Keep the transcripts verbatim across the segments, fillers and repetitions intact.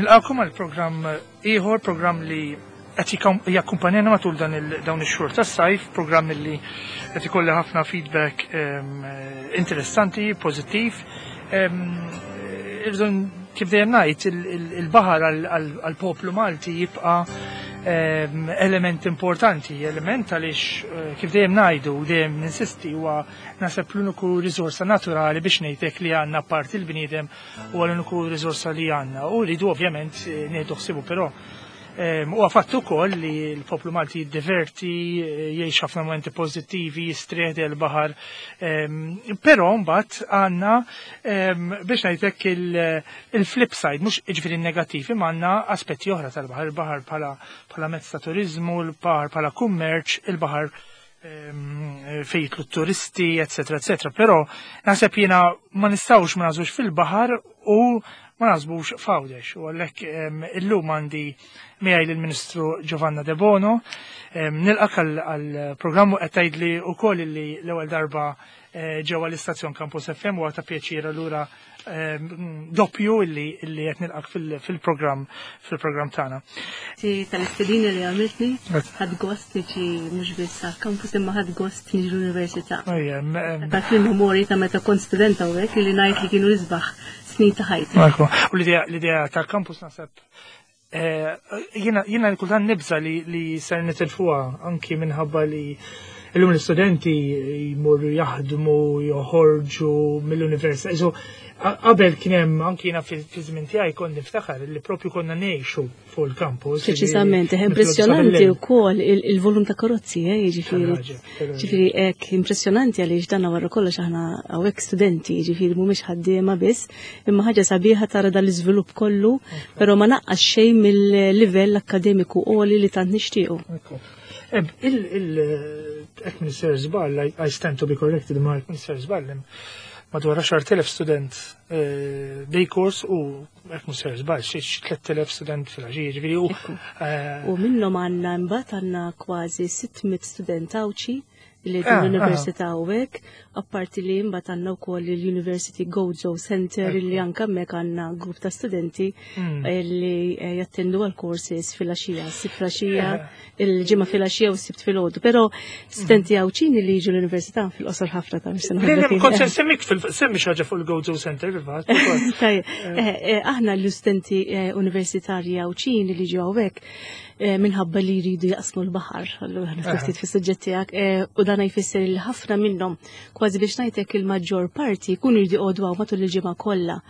Nilqakom għal programm ieħor, programm li qed jakkumpanjana matul dan dawn ix-xhur tas-sajf, programm li qed ikolli ħafna feedback interessanti, pożittiv. Irridu kif dejjem ngħid, il-baħar għall-poplu Malti jibqa' element importanti, element għaliex eh, kif dejjem ngħidu, dejjem ninsisti, huwa naħseb l-uniku riżorsa naturali biex ngħidlek li għandna parti l-bniedem, huwa l-uniku riżorsa li għandna u rridu ovvjament eh, nieħdu ħsibu, però huwa fatt ukoll li l-poplu Malti jiddiverti, eh, jgħix ħafna momenti pożittivi, jistrieħ il-baħar. Però mbagħad għandna biex ngħidlek il-flip side, mhux jiġifieri negattiv, imma għandna aspetti oħra tal-baħar, il-baħar bħala mezz ta' turizmu, il-baħar bħala kummerċ, il-baħar fejn jitilgħu turisti, eccetera, eccetera. Però naħseb jiena ma nistgħux ma naħsbux fil-baħar u ma naħsbux f'Għawdex. U għalhekk illum għandi miegħi l-Ministru Giovanna De Bono. Nilqak għal-programmu, qed tgħidli wkoll li l-ewwel darba eh, ġewwa l-istazzjon Campus F M u ta' pjaċir allura doppju illi illi qed nilqak fil-programm fil-programm tagħna. Tal-istedina li għamiltni, ħadt gost niġi mhux biss għal-campus imma ħadt gost niġi l-università. Dak il-memorji ta' meta kont studenta u hekk li ngħid li kienu l-isbaħ snin ta' ħajti. U l-idea tal-campus naħseb eh, jiena jiena kultant nibża li li ser nitilfuha anki minħabba li illum l-istudenti jmorru jaħdmu, joħorġu mill-università. Qabel kien hemm, anki jiena fi żmien tiegħi kont niftakar li propju konna ngħixu fuq il-campus. Preċisament, impressjonanti wkoll il-volum ta' karozzi, eh, jiġifieri. Ġifieri hekk impressjonanti għaliex dan wara kollox aħna hawnhekk studenti, jiġifieri mhumiex ħaddiema biss, imma ħaġa sabiħa tara dal-iżvilupp kollu, però ma naqqas xejn mill-livell akkademiku għoli li tant nixtiequ. Il-ek Minister żball, I stand to be corrected, ma Minister żball, madwar għaxart elef student eh, day course u hekk Minister żball, xi tlett elef student fil-ħaġi, ġifieri u. Eh, u minnhom għandna mbagħad għandna kważi sitt mitt student Għawdxi li ah, l-Università u hekk, apparti li mbagħad għandna wkoll il-University Gozo Center li anke hemmhekk għandna grupp ta' studenti hmm. li eh, jattendu għal courses fil-għaxija, sibt fil-għaxija, il-ġimgħa fil-għaxija u sibt fil-għodu. Però studenti Għawdxin li jiġu l-università fil-qosor ħafna ta' Kont se semmik semmi xi ħaġa fuq il-Gozo Center fil-fatt. Eh, eh, aħna l-istudenti universitarji Għawdxin li jiġu hawnhekk minħabba li jridu jaqsmu l-baħar, allura ftit fis-suġġett tiegħek, u dan jfisser li ħafna minnhom, kważi biex ngħidlek il-maġġor parti, jkunu jridu jqogħdu matul il-ġimgħa kollha.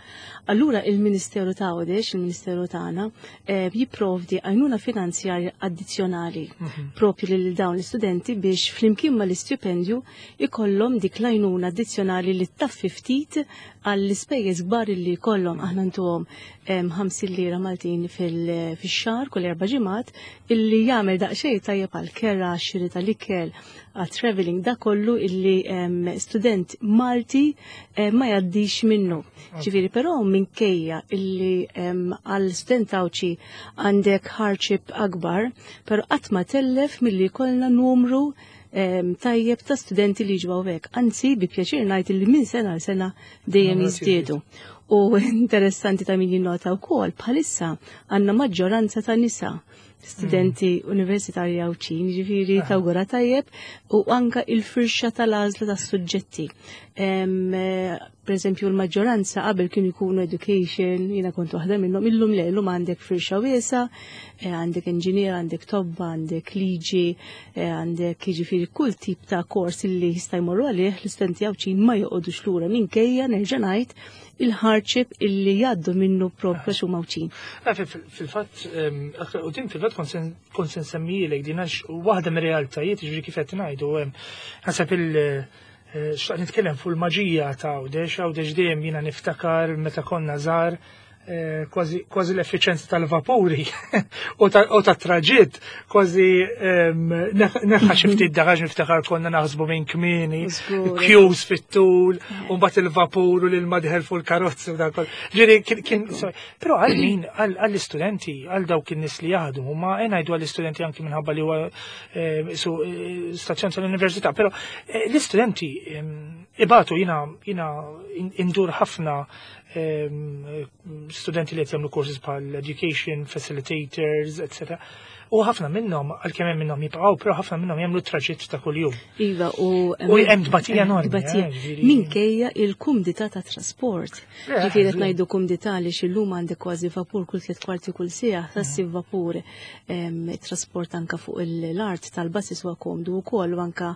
Allura il-Ministeru ta' Għawdex, il-Ministeru tagħna, eh, jipprovdi għajnuna finanzjarja addizzjonali mhm. propju lil dawn l-istudenti biex flimkien mal-istipendju ikollhom dik l-għajnuna addizzjonali li taffi ftit għall-ispejjeż kbar li jkollhom. Aħna ntuhom ħamsin lira Maltin fil-xahar kull erba' ġimgħat illi jagħmel daqsxejn tajjeb għal kera, xiri tal-ikel, għal traveling, da kollu illi student Malti ma jgħaddix minnu. Ġifieri però minkejja illi għal student Għawdxi għandek hardship akbar, però qatt ma tellef milli jkollna numru tajjeb ta' studenti li ġu hawnhekk. Anzi, bi pjaċir ngħid li minn sena għal sena dejjem jiżdiedu. U interessanti ta' min jinnota wkoll bħalissa għandna maġġoranza ta' nisa studenti mm. universitarji Għawdxin, ġifieri tawgura tajjeb u anka il-firxa tal-għażla tas-suġġetti. Per eżempju, l-maġġoranza qabel kienu jkunu education, jiena kont waħda minnhom, illum le, illum għandek firxa wiesgħa, eh, għandek engineer, għandek tobba, għandek liġi, eh, għandek jiġifieri kull tip ta' kors li jista' jmorru għalih l-istudenti Għawdxin, ma joqogħdux lura minkejja, nerġa' ngħid, il-hardship illi jgħaddu minnu propju għax huma Għawdxin. Eh, fil-fatt, u din fil-fatt kont se nsemmilek din għax waħda mir-realtajiet, ġifieri kif qed ngħidu, naħseb il- eh, xtaqt nitkellem fuq il-maġija ta' Għawdex. Għawdex dejjem jiena niftakar meta konna żgħar, eh, kważi l-effiċenza tal-vapuri u ta' traġitt kważi neħħa xi ftit dagaġ. Niftakar konna naħsbu minn kmieni, queues fit-tul, u mbagħad il-vapur u l-ilma dieħel fuq il-karozzi u dak. Ġifieri kien, però għal min, għall-istudenti, għal dawk in-nies li jaħdmu, ma ngħidu għall-istudenti anki minħabba li huwa eh, eh, stazzjon tal-università, però l-istudenti ibatu. Jiena jiena indur ħafna studenti li qed jagħmlu courses bħal education, facilitators, et cetera. U ħafna minnhom, għalkemm hemm minnhom jibqgħu, però ħafna minnhom jagħmlu traġitt ta' kuljum. Iva, u U hemm tbatija enormi, tbatija. eh, ġifieri- Minkejja il-kumdità ta' trasport. Eh, Ġifieri qed żgur. ngħidu kumdità li xillum għandek kważi vapur kull tliet kwarti kull siegħa, tassi vapur em, trasport anka fuq l-art tal-buses huwa komdu wkoll u anka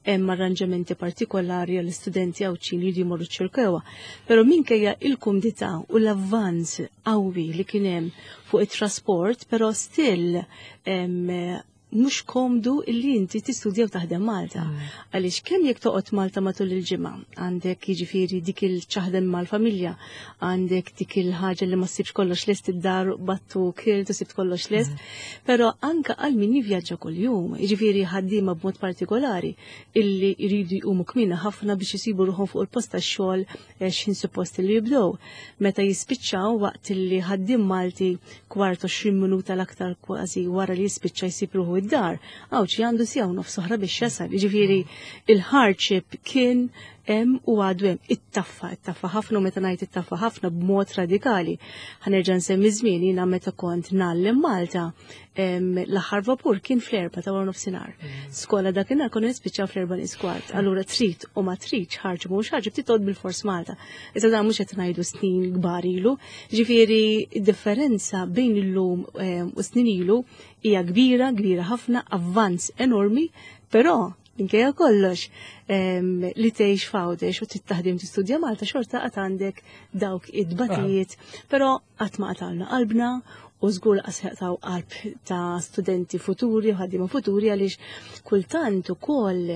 hemm arranġamenti partikolari għall-istudenti Għawdxin li jridu jmorru ċ-Ċirkewwa. Però minkejja il-kumdità u l-avvanz qawwi li kien hemm fuq it-trasport, però still em, mhux komdu illi inti tistudja u taħdem Malta. Għaliex kemm jekk toqgħod Malta matul il-ġimgħa, għandek jiġifieri dik il-ċaħdem mal-familja, għandek dik il-ħaġa li ma ssibx kollox lest id-dar battu kilt u sibt kollox lest, però anka għal min jivvjaġġa kuljum, jiġifieri ħaddiema b'mod partikolari illi jridu jqumu kmieni ħafna biex isibu ruħhom fuq il-post tax-xogħol eh, x'ħin suppost li jibdew. Meta jispiċċaw waqt illi ħaddiem Malti kwart għoxrin minuta l-aktar kważi wara li jispiċċa jsib ruħu id-dar, Għawdxi għandu siegħa u nofs oħra biex jasal. Jiġifieri il-hardship kien hemm u għadu hemm. Ittaffa, ittaffa ħafna u meta ngħid ittaffa ħafna b'mod radikali. Ħa nerġa' nsemmi żmien jiena meta kont ngħallem Malta, em, l-aħħar vapur kien fl-erba ta' wara nofsinhar. Skola dakinhar konna nispiċċaw fl-erba nies kwart. Allura trid u ma tridx ħarġ mhux ħarġ titqgħod bil-fors Malta. Issa dan mhux qed ngħidu snin kbar ilu. Ġifieri id-differenza bejn illum em, u snin ilu hija kbira, kbira ħafna, avvanz enormi, però minkejja kollox em, li tgħix f'Għawdex u trid taħdem tistudja Malta xorta qatt għandek dawk id-batijiet, però qatt ma qatalna qalbna u żgur qas jaqtaw qalb ta' studenti futuri u ħaddiema futuri għaliex kultant ukoll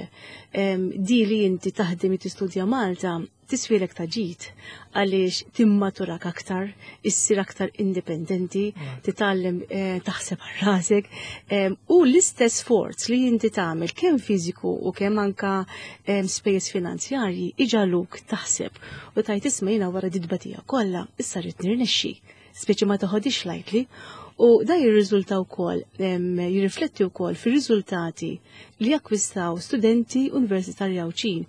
em, di li inti taħdem u tistudja Malta tiswilek ta' ġid għaliex timmaturak aktar, issir aktar indipendenti, titgħallem eh, taħseb għal rasek em, u l-istess sforz li inti tagħmel kemm fiżiku u kemm anka em, spejjeż finanzjarji iġagħluk taħseb u tgħid isma' jiena wara dit-tbatija kollha issa rrid nirnexxi, speċi ma toħodix lightly. U da jirriżulta wkoll, em, jirrifletti wkoll fir-riżultati li akkwistaw studenti universitarji Għawdxin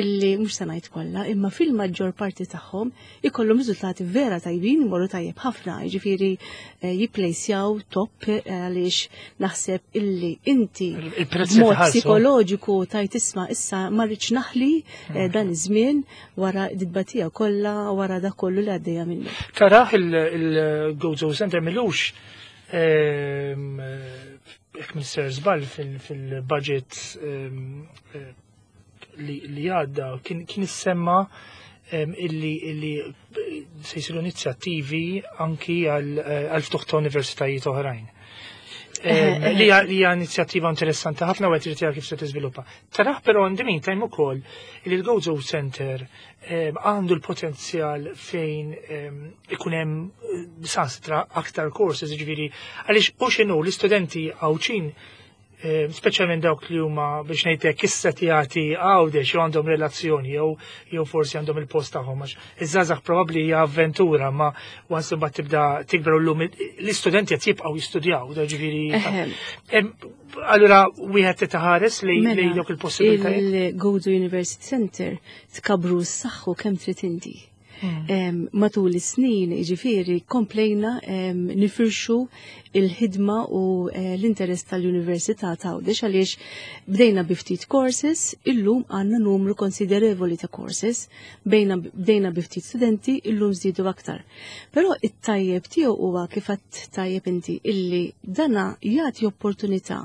illi mhux se ngħid kollha, imma fil-maġġor parti tagħhom ikollhom riżultati vera tajbin, imorru tajjeb ħafna, jiġifieri eh, jipplejsjaw top eh, għaliex naħseb illi inti Il-prezz li b'mod tħallsu. psikoloġiku tgħid isma' issa ma rridx naħli eh, dan iż-żmien wara dit-tbatija kollha wara dak kollu li għaddejja minnu. Taraħ il-Gozo Center m'ilux ehm, jekk Mister Żball fil-budget ehm, eh, li li għadda kien kien issemma ehm, illi illi se jsiru inizjattivi anki għal eh, għal ftuħ ta' universitajiet oħrajn. Ehm, Li hija li hija inizjattiva interessanti ħafna u qed irid jara kif se tiżviluppa. Taraħ però in the meantime ukoll li l-Gozo Center ehm, għandu l-potenzjal fejn ehm, ikun hemm eh, sanstra aktar courses, ġifieri għaliex u x'inhu l-istudenti Għawdxin eh, speċjalment dawk li huma biex ngħidlek issetjati Għawdex jew għandhom relazzjoni jew jew forsi għandhom il-post tagħhom għax iż-żgħażagħ probabbli hija avventura ma once imbagħad tibda tikber llum l-istudenti qed jibqgħu jistudjaw, da ġifieri. Eħe. Em, Allura wieħed titaħares li Mela, li dawk il-possibilitajiet. Il-Gozo University Center tkabru s-saħħu kemm trid inti. Hmm. Em, matul is-snin, jiġifieri, komplejna em, nifirxu il-ħidma u eh, l-interess tal-Università ta' Għawdex għaliex bdejna bi ftit courses, illum għandna numru konsiderevoli ta' courses, bejna bdejna bi ftit studenti, illum żdiedu aktar. Però it-tajjeb tiegħu huwa kif għedt tajjeb inti illi dana jagħti opportunità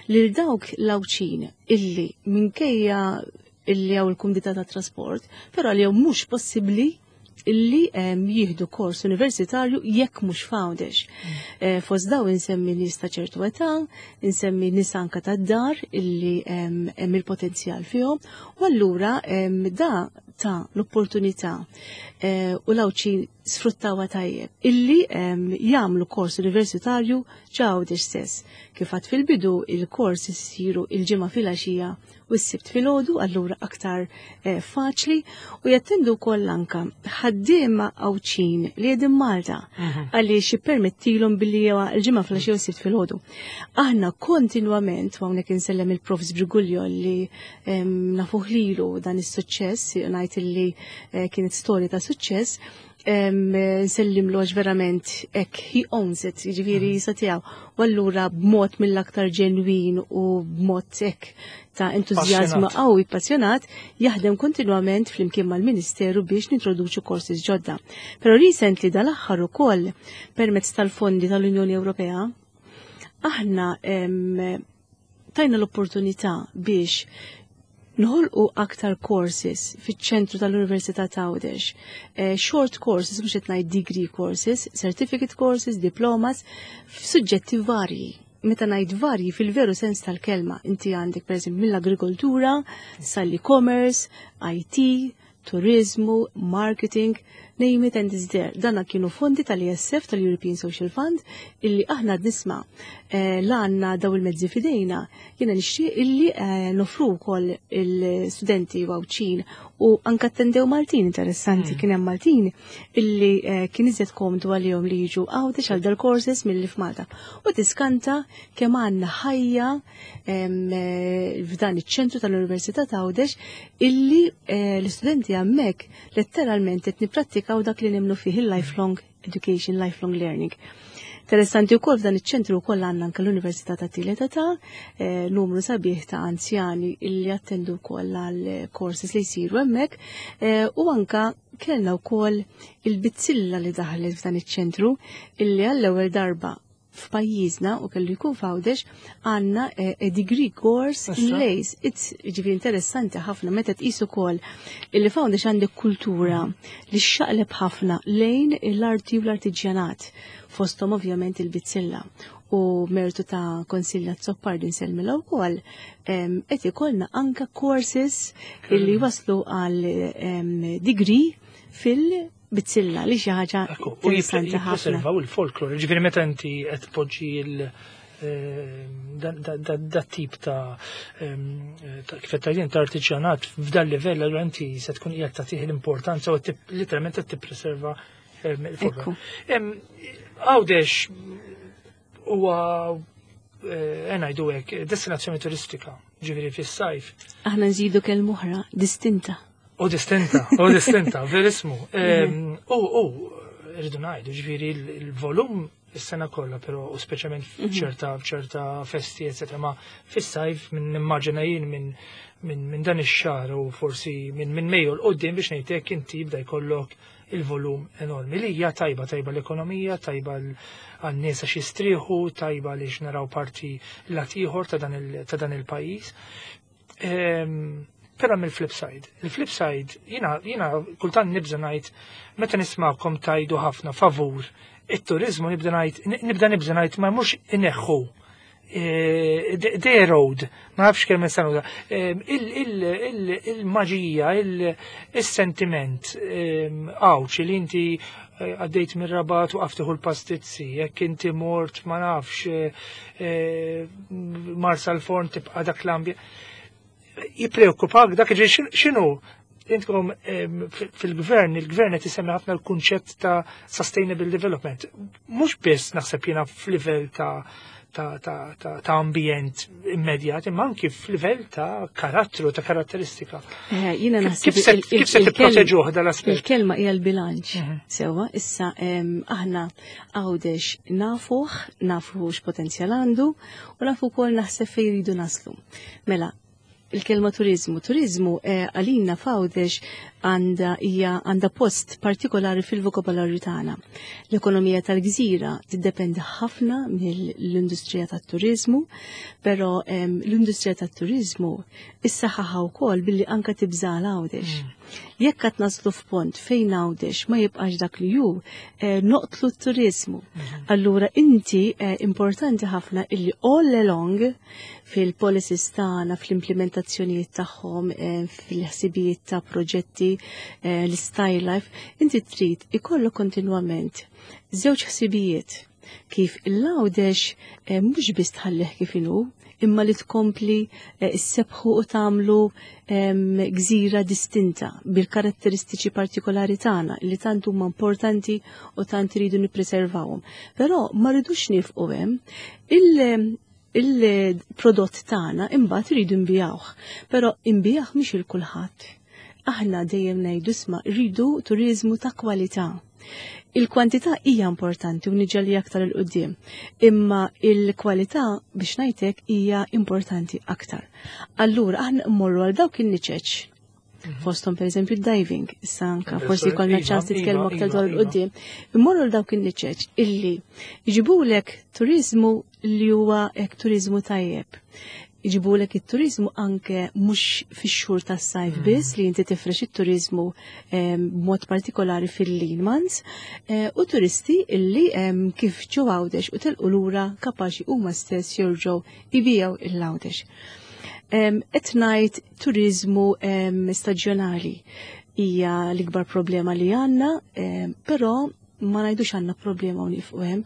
lil dawk l-Għawdxin illi minkejja illi hawn il-kumdità ta' trasport, però li mhux possibbli illi em, jieħdu kors universitarju jekk mhux f'Għawdex. Eh, Fost daw insemmi nies ta' ċertu età, insemmi nies anka tad-dar illi em, hemm il-potenzjal fihom, u allura em, da ta l-opportunità eh, u l-Għawdxin sfruttawha tajjeb illi em, jagħmlu kors universitarju f'Għawdex stess. Kif għedt fil-bidu il-kors isiru il-ġimgħa filgħaxija u s-sibt filgħodu, allura aktar eh, faċli u jattendu wkoll anka ħaddiema Għawdxin li qegħdin Malta għaliex jippermettilhom billi jew il-ġimgħa filgħaxija u s-sibt filgħodu. Aħna kontinwament, u hawnhekk insellem il-Profs Briguglio li em, nafuh lilu dan is-suċċess, ngħid illi eh, kienet storja ta' suċċess, Nsellimlu għax verament hekk he owns it, jiġifieri mm. sa tiegħu. U allura b'mod mill-aktar ġenwin u b'mod hekk ta' entużjażmu qawwi, passjonat, jaħdem kontinwament flimkien mal-Ministeru biex nintroduċu courses ġodda. Però recently, dal-aħħar ukoll, permezz tal-fondi tal-Unjoni Ewropea, aħna tajna l-opportunità biex nħolqu aktar courses fiċ-ċentru tal-Università ta' Għawdex. Eh, short courses, mhux qed ngħid degree courses, certificate courses, diplomas, f'suġġetti varji. Meta ngħid varji fil-veru sens tal-kelma, inti għandek pereżempju mill-agrikoltura, sal-e-commerce, I T, turizmu, marketing, name it and it's there. Dana kienu fondi tal-E S F, tal-European Social Fund, illi aħna nisma eh, la għandna daw il-mezzi fidejna, jiena nixtieq illi eh, nofru wkoll il-studenti Għawdxin u anka attendew Maltin interessanti, mm. kien hemm Maltin illi eh, kien iżjed komdu għalihom li jiġu Għawdex għal dal-courses milli f'Malta. U tiskanta kemm għandna ħajja f'dan iċ-ċentru tal-Università ta' Għawdex illi l-istudenti hemmhekk letteralment qed nipprattikaw dak li nemmnu fih, il-lifelong education, lifelong learning. Interessanti wkoll, f'dan iċ-ċentru wkoll għandna anke l-Università ta' Tielet Età, eh, numru sabiħ ta' anzjani illi attendu wkoll għal courses li jsiru hemmhekk eh, u anka kellna wkoll il-bizzilla li daħlet f'dan iċ-ċentru, illi għall-ewwel darba f'pajjiżna, u kellu jkun f'Għawdex, għandna eh, a degree course in lace. It's ġifieri interessanti ħafna meta tqis ukoll illi f'Għawdex għandek kultura li xaqleb ħafna lejn l-arti u l-artiġjanat, fosthom ovvjament il-bizzilla. U mertu ta' Konsilja Azzopardi, nsellmilha wkoll, qed ikollna anka courses illi waslu għal degree fil- bizzilla, li xi ħaġa U jippreservaw il-folklor, ġifieri meta inti qed tpoġġi il eh, da tip ta' kif qed tgħidin ta' artiġjanat f'dan livell, allura inti se tkun qiegħed tagħtih l-importanza u literalment qed tippreserva il-folklor. Għawdex huwa, eh, ngħidu hekk, destinazzjoni turistika, ġifieri fis-sajf. Aħna nżidu kelma oħra, distinta. U distinta, u distinta, verismu. U, u, rridu ngħidu, ġifieri il-volum is-sena kollha, però u speċjalment mhm. f'ċerta f'ċerta festi, eccetera, ma fis-sajf minn nimmaġina jien minn min, min dan ix-xahar u forsi minn min Mejju 'l quddiem, biex ngħidlek, inti jibda jkollok il-volum enormi li hija tajba, tajba l-ekonomija, tajba għan-nies għax jistrieħu, tajba li naraw parti lat ieħor ta' dan il-pajjiż. Però mill-flip side. Il-flip side, jiena, jiena kultant nibża ngħid, meta nisma'kom tgħidu ħafna favur it-turizmu, nibda ngħid, nibda nibża ngħid ma mhux ineħħu e, the road, ma nafx kemm sanuda, il-maġija, il-sentiment għawċi li inti eh, għaddejt mir Rabat u għaftiħu l-pastizzi, jekk inti mort, ma nafx, eh, Marsalforn, tibqa dak l-ambjent. Jipreokkupak dak, ġi x'inhu intkom fil-gvern, il-gvern qed isemmi ħafna l-kunċett ta' sustainable development. Mhux biss naħseb jiena f'livell ta' ta', ta, ta, ta ambjent immedjat, imma anki f'livell ta' karattru, ta' karatteristika. Eh, jiena naħseb Kif se kif se tipproteġuh dal-aspett? Il-kelma hija l-bilanċ. Mhm. Sewa, issa aħna Għawdex nafuh, nafu x'potenzjal għandu u nafu wkoll naħseb fejn jridu naslu. Mela, il-kelma turizmu. Turizmu eh, għalina f'Għawdex għandha hija għandha post partikolari fil-vokabolarju tagħna. L-ekonomija tal-gżira tiddependi ħafna mill-industrija tat-turizmu, però l-industrija tat-turizmu issaħħaħa wkoll billi anka tibża Għawdex. Mm. Jekk qed naslu f'pont fejn Għawdex ma jibqax dak li hu, eh, noqtlu t-turizmu. Mm. Allura inti eh, importanti ħafna illi all along fil-policies tagħna, fl-implementazzjonijiet tagħhom, eh, fil-ħsibijiet ta' proġetti, l-style life, inti trid ikollok kontinwament żewġ ħsibijiet kif l-Għawdex mhux biss tħallih kif inhu, imma li tkompli issebħu u tagħmlu gżira distinta bil-karatteristiċi partikolari tagħna li tant huma importanti u tant iridu nippreservawhom. Però ma rridux nifqu hemm. Il-prodott tagħna imbagħad iridu nbigħuh, però nbigħuh mhux il kulħadd. Aħna dejjem ngħidu, isma', rridu turizmu ta' kwalità. Il-kwantità hija importanti u niġi aktar 'il quddiem, imma il-kwalità, biex ngħidlek, hija importanti aktar. Allura aħna mmorru għal dawk in-niċeċ, mhm. fosthom per eżempju diving, issa anka forsi jkollna iva, ċans titkellmu iva, aktar dwar 'il quddiem, immorru għal dawk in-niċeċ illi jġibulek turizmu li huwa hekk turizmu tajjeb, jġibulek it-turizmu anke mhux fix-xhur tas-sajf mm. biss, li inti tifrex it-turizmu b'mod partikolari fil-lean months eh, u turisti illi kif ġew Għawdex u telqu lura kapaċi huma stess jerġgħu jbigħu 'l Għawdex. Qed ngħid turizmu staġjonali hija l-ikbar problema li għandna, però ma ngħidux għandna problema u nieqfu hemm.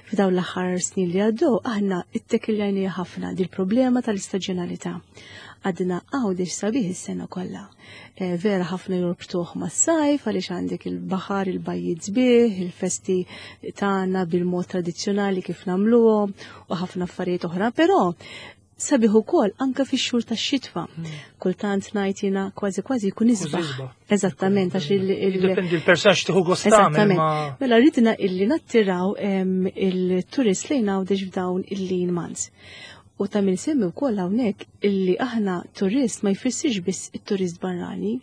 F'dawn l-aħħar snin li għaddew aħna ittekiljajna ħafna dil-problema tal-istaġjonalità. Għadna Għawdex sabiħ is-sena kollha. E, vera ħafna jorbtuh mas-sajf għaliex għandek il-baħar, il-bajjiet sbieħ, il-festi tagħna bil-mod tradizzjonali kif nagħmluhom u ħafna affarijiet oħra, però sabiħ ukoll anke fix-xhur tax-xitwa. Hmm. Kultant ngħid jiena kważi kważi jkun isbaħ. Eżattament, għax il- Dipendi l-persaġġ tieħu gost. Eżattament. Mela ridna illi nattiraw il-turist lejn Għawdex f'dawn il-lean months. U ta' min semmi wkoll hawnhekk illi aħna turist ma jfissirx biss it-turist barrani.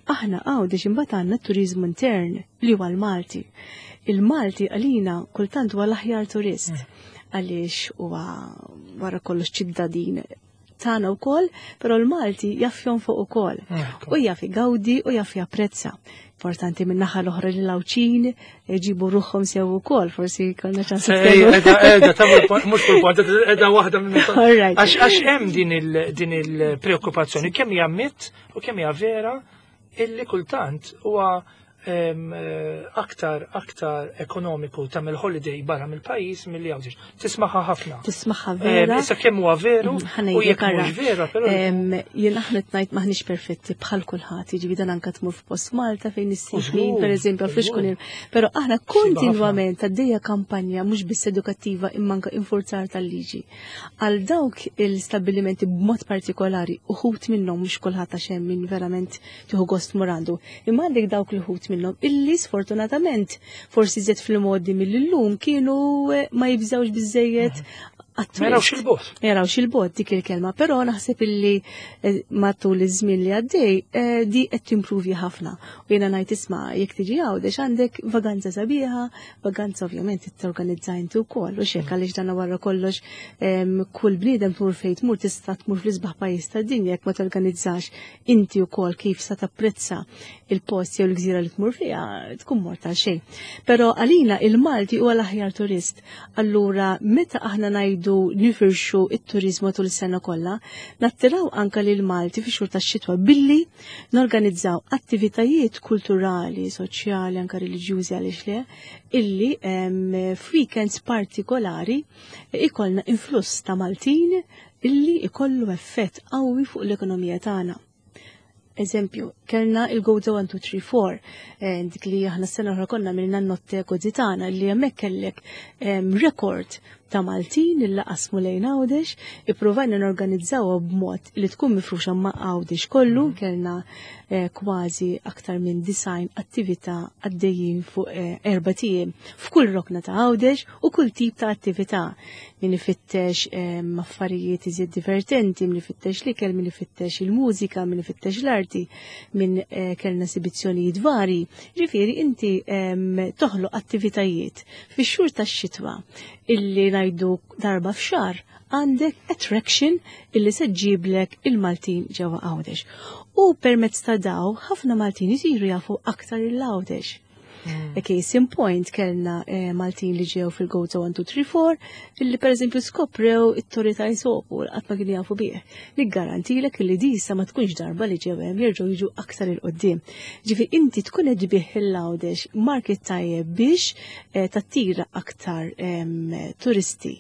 Aħna Għawdex imbagħad għandna turizmu intern li huwa l-Malti. Il-Malti għalina kultant huwa l-aħjar turist. Hmm għaliex huwa wara kollox ċittadin tagħna wkoll, però l-Malti jaf jonfoq ukoll. U jaf igawdi u jaf japprezza. Importanti minn naħa l-oħra li l-Għawdxin jġibu ruħhom sew ukoll, forsi kellna ċans. Edha, edha, mhux kull punt, edha waħda minn. Għax hemm din il-preokkupazzjoni, kemm hija mit u kemm hija vera, illi kultant huwa eh, aktar aktar ekonomiku tagħmel holiday barra mill-pajjiż milli Għawdex. Tismaħħa ħafna. Tismaħħa vera. Issa kemm huwa veru mm, u jekk mhux vera, però. Jien aħna tnajt maħniex perfetti bħal kulħadd, jiġifieri dan anke tmur f'post Malta fejn issib pereżempju għal kun. Però aħna kontinwament għaddejja kampanja mhux biss edukattiva imma anke infurzar tal-liġi. Għal dawk il-stabbilimenti b'mod partikolari, uħud minnhom, mhux kulħadd għax hemm min verament tieħu gost tmur għandu. Imma għandek dawk l-uħud minnhom illi sfortunatament forsi żed fil-modi mill-lum kienu eh, ma jibżawx biżejjed. Ma jarawx il-bot. Ma jarawx il-bot dik il-kelma, però naħseb illi eh, matul iż-żmien li għaddej eh, di qed timpruvi ħafna. U jiena ngħid, isma', jekk tiġi Għawdex għandek vaganza sabiħa, vaganza ovvjament torganizza inti wkoll u xek, għaliex dan wara kollox kull bniedem tmur fejn tmur, tista' tmur fl-isbaħ pajjiż tad-dinja, jekk ma torganizzax inti wkoll kif sa tapprezza il-post jew l-gżira li tmur fiha, tkun mort għal xejn. Però għalina il-Malti huwa l-aħjar turist. Allura meta aħna ngħidu nifirxu it-turizmu tul is-sena kollha, nattiraw anka lil Malti fi xhur tax-xitwa billi norganizzaw attivitajiet kulturali, soċjali, anka reliġjużi, għaliex le, illi f'weekends partikolari ikollna influss ta' Maltin illi ikollu effett qawwi fuq l-ekonomija tagħna. Eżempju, kellna il-Gozo one, two, three, four, eh, dik li aħna s-sena oħra konna minna notte Gozitana, li hemmhekk kellek rekord ta' Maltin illa qasmu lejn Għawdex, ippruvajna norganizzaw b'mod li tkun mifruxa ma' Għawdex kollu, mhm. kellna eh, kważi aktar minn disgħin attività għaddejjin fuq eh, erbat ijiem f'kull rokna ta' Għawdex u kull tip ta' attività. Min ifittex eh, affarijiet iżjed divertenti, min ifittex l-ikel, min ifittex il-mużika, min ifittex l-arti, min kellna esibizzjonijiet vari. Ġifieri inti toħloq attivitajiet fix-xhur tax-xitwa illi ngħidu darba f'xahar għandek attraction illi se ġġiblek il-Maltin ġewwa Għawdex. U permezz ta' daw ħafna Maltin isiru jafu aktar il-Għawdex. Mm. A case in point, kellna eh, Maltin li ġew fil-Gozo one, two, three, four illi per eżempju skoprew it-Torri ta' Isopu, qatt ma kienu jafu bih. Niggarantilek li disa ma tkunx darba li ġew hemm, jerġgħu jiġu aktar 'il quddiem. Ġifi inti tkun qed tbigħ il-Għawdex, market tajjeb biex eh, tattira aktar turisti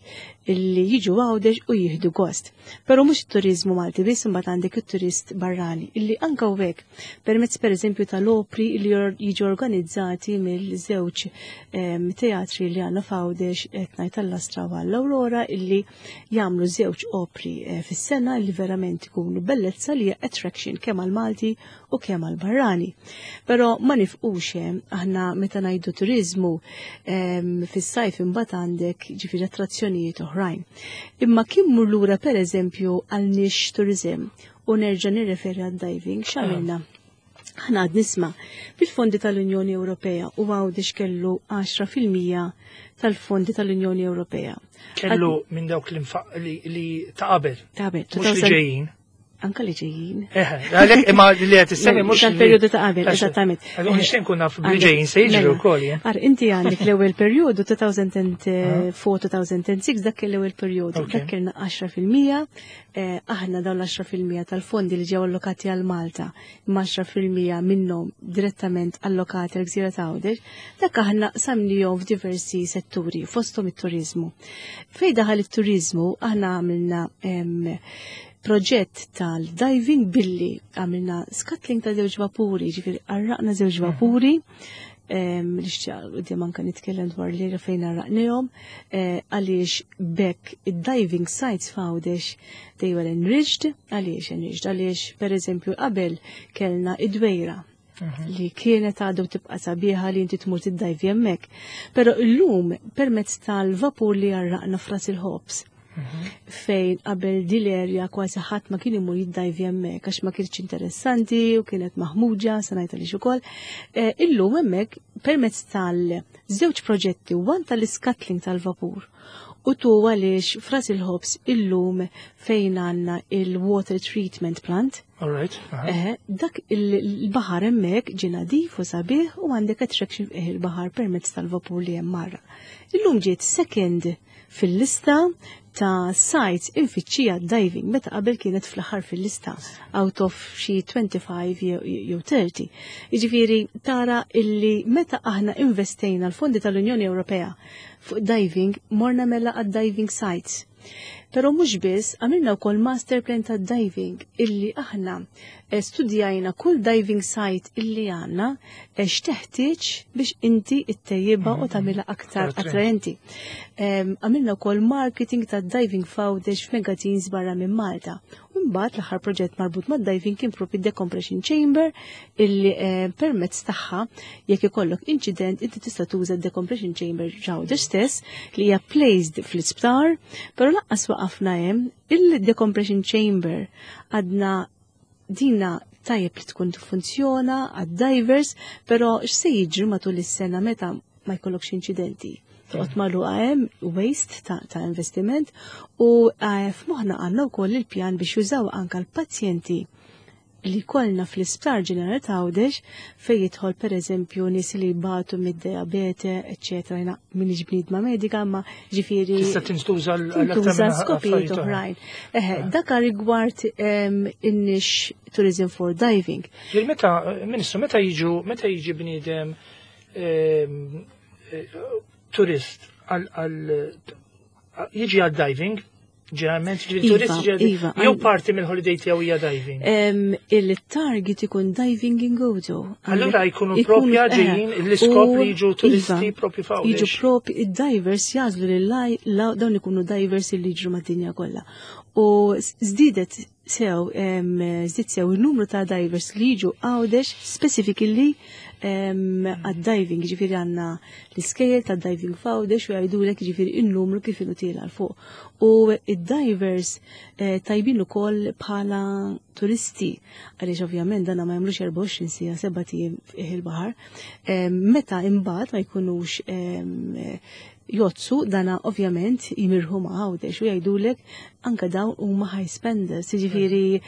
illi jiġu Għawdex u jieħdu gost. Però mhux it-turizmu Malti biss, imbagħad għandek it-turist barrani illi anke hekk permezz pereżempju tal-opri li jiġu organizzati. supportati mill-żewġ teatri li għandna f'Għawdex, qed ngħid għall-Astra u għall-Aurora, illi jagħmlu żewġ opri eh, fis-sena li verament ikunu bellezza li hija attraction kemm għal-Malti u kemm għal-barrani. Però ma nifqux hemm, aħna meta ngħidu turizmu fis-sajf imbagħad għandek ġifieri attrazzjonijiet oħrajn. Imma kien mur lura, pereżempju, għal niche tourism u nerġa' nirreferi għad-diving, x'għamilna? Aħna għad nisma' bil-fondi tal-Unjoni Ewropea u Għawdex kellu għaxra fil-mija tal-fondi tal-Unjoni Ewropea. Kellu minn dawk li, li ta' qabel. Ta' qabel. Mhux li ġejjin. Anka li ġejjin. Eħe, għalhekk imma li qed issemmi mhux. Tal-perjodu ta' qabel, eżattament. Għalhekk nixtieq nkun naf li ġejjin se jiġri Mela, wkoll, jien. Ar, inti għandek l-ewwel perjodu elfejn u erbgħa-elfejn u sitta, dak kien l-ewwel perjodu. Ok. Dak kellna għaxra fil-mija, eh, aħna dawn l-għaxra fil-mija tal-fondi li ġew allokati għal Malta, imma għaxra fil-mija minnhom direttament allokati għal Gżira ta' Għawdex, dak aħna qsamnihom f'diversi setturi, fosthom it-turizmu. Fej daħal it-turizmu, aħna għamilna em, proġett tal-diving billi għamilna scuttling ta' żewġ vapuri, ġifieri għarraqna żewġ vapuri, em, li xċaq anka nitkellem dwar li fejn għarraqnihom, eh, għaliex bekk id-diving sites f'Għawdex they were enriched, għaliex enriched, għaliex per eżempju qabel kellna id-Dwejra li kienet għadu tibqa sabiħa li inti tmur tiddajvi hemmhekk. Però illum permezz tal-vapur li għarraqna f'Ras il-Ħobż, fejn qabel dil-erja kważi ħadd ma kien imur jiddajvi hemmhekk għax ma kienx interessanti u kienet maħmuġa, se ngħid għaliex ukoll. Eh, Illum hemmhekk permezz tal-żewġ proġetti, one tal-scuttling tal-vapur u tu għaliex f'Ras il-Ħobż illum fejn għandna il-water treatment plant. All right. Aha. Eħe, dak il-baħar hemmhekk ġie nadif u sabiħ u għandek attraction fih il-baħar permezz tal-vapur li hemm marra. Illum ġiet second fil-lista ta' sites imfittxija diving, meta qabel kienet fl-aħħar fil-lista out of xi twenty-five jew jew thirty. Jiġifieri tara illi meta aħna investejna l-fondi tal-Unjoni Ewropea fuq diving, morna mela għad diving sites. Pero mhux biss, għamilna wkoll master plan ta' diving illi aħna eh, studjajna kull diving site illi għandna eh, x'teħtieġ biex inti ittejjibha u tagħmilha aktar attraenti. Em, Għamilna wkoll marketing ta' diving f'Għawdex f'magazines barra minn Malta. U mbagħad l-aħħar proġett marbut mad diving kien propri decompression chamber illi eh, permezz tagħha jekk ikollok incident inti tista' tuża decompression chamber f'Għawdex stess li hija placed fl-isptar, però lanqas waqafna hemm. Il-decompression chamber għadna dina tajjeb li tkun tiffunzjona għad-divers, però x'se jiġri matul is-sena meta ma jkollokx inċidenti? Toqgħod magħluqa hemm, waste ta', ta investiment u eh, f'moħħna għandna wkoll il-pjan biex jużaw anka l-pazjenti li kollna fl-Isptar Ġenerali ta' Għawdex, fej jidħol per eżempju nies li jbatu mid-diabete, eċċetera. Jiena m'iniex bniedma medika, ma ġifieri Tista' tintuża l- tintuża għal skopijiet affarijiet oħrajn. Eħe, dak rigward em, in-niche tourism for diving. Ġifieri meta, Ministru, meta jiġu, meta jiġi bniedem ehm, eh, turist għal għal jiġi għal diving, ġeneralment ġifieri Iva, turist ġeneralment iva, jew għal- parti mill-holiday tiegħu hija diving? Em, Il-target ikun diving in Gozo. Allura jkunu propja ġejjin l-iskop li jiġu turisti propju f'Għawdex. Jiġu propi, id-divers jagħżlu li la- dawn ikunu divers li jiġru mad-dinja kollha. U żdiedet sew, em, żdied sew il-numru ta' divers li jiġu Għawdex specifically għad-diving, ġifieri għandna l-iskejjel ta' diving f'Għawdex u jgħidulek ġifieri il-numru kif inhu tiela' 'l fuq. U id-divers eh, tajbin ukoll bħala turisti, għaliex ovvjament dana ma jagħmlux erbgħa u għoxrin siegħa, sebat ijiem il-baħar. Meta imbagħad ma jkunux em, jgħodsu, dana ovvjament jimirħu ma' Għawdex u jgħidulek anka dawn huma high spenders, jiġifieri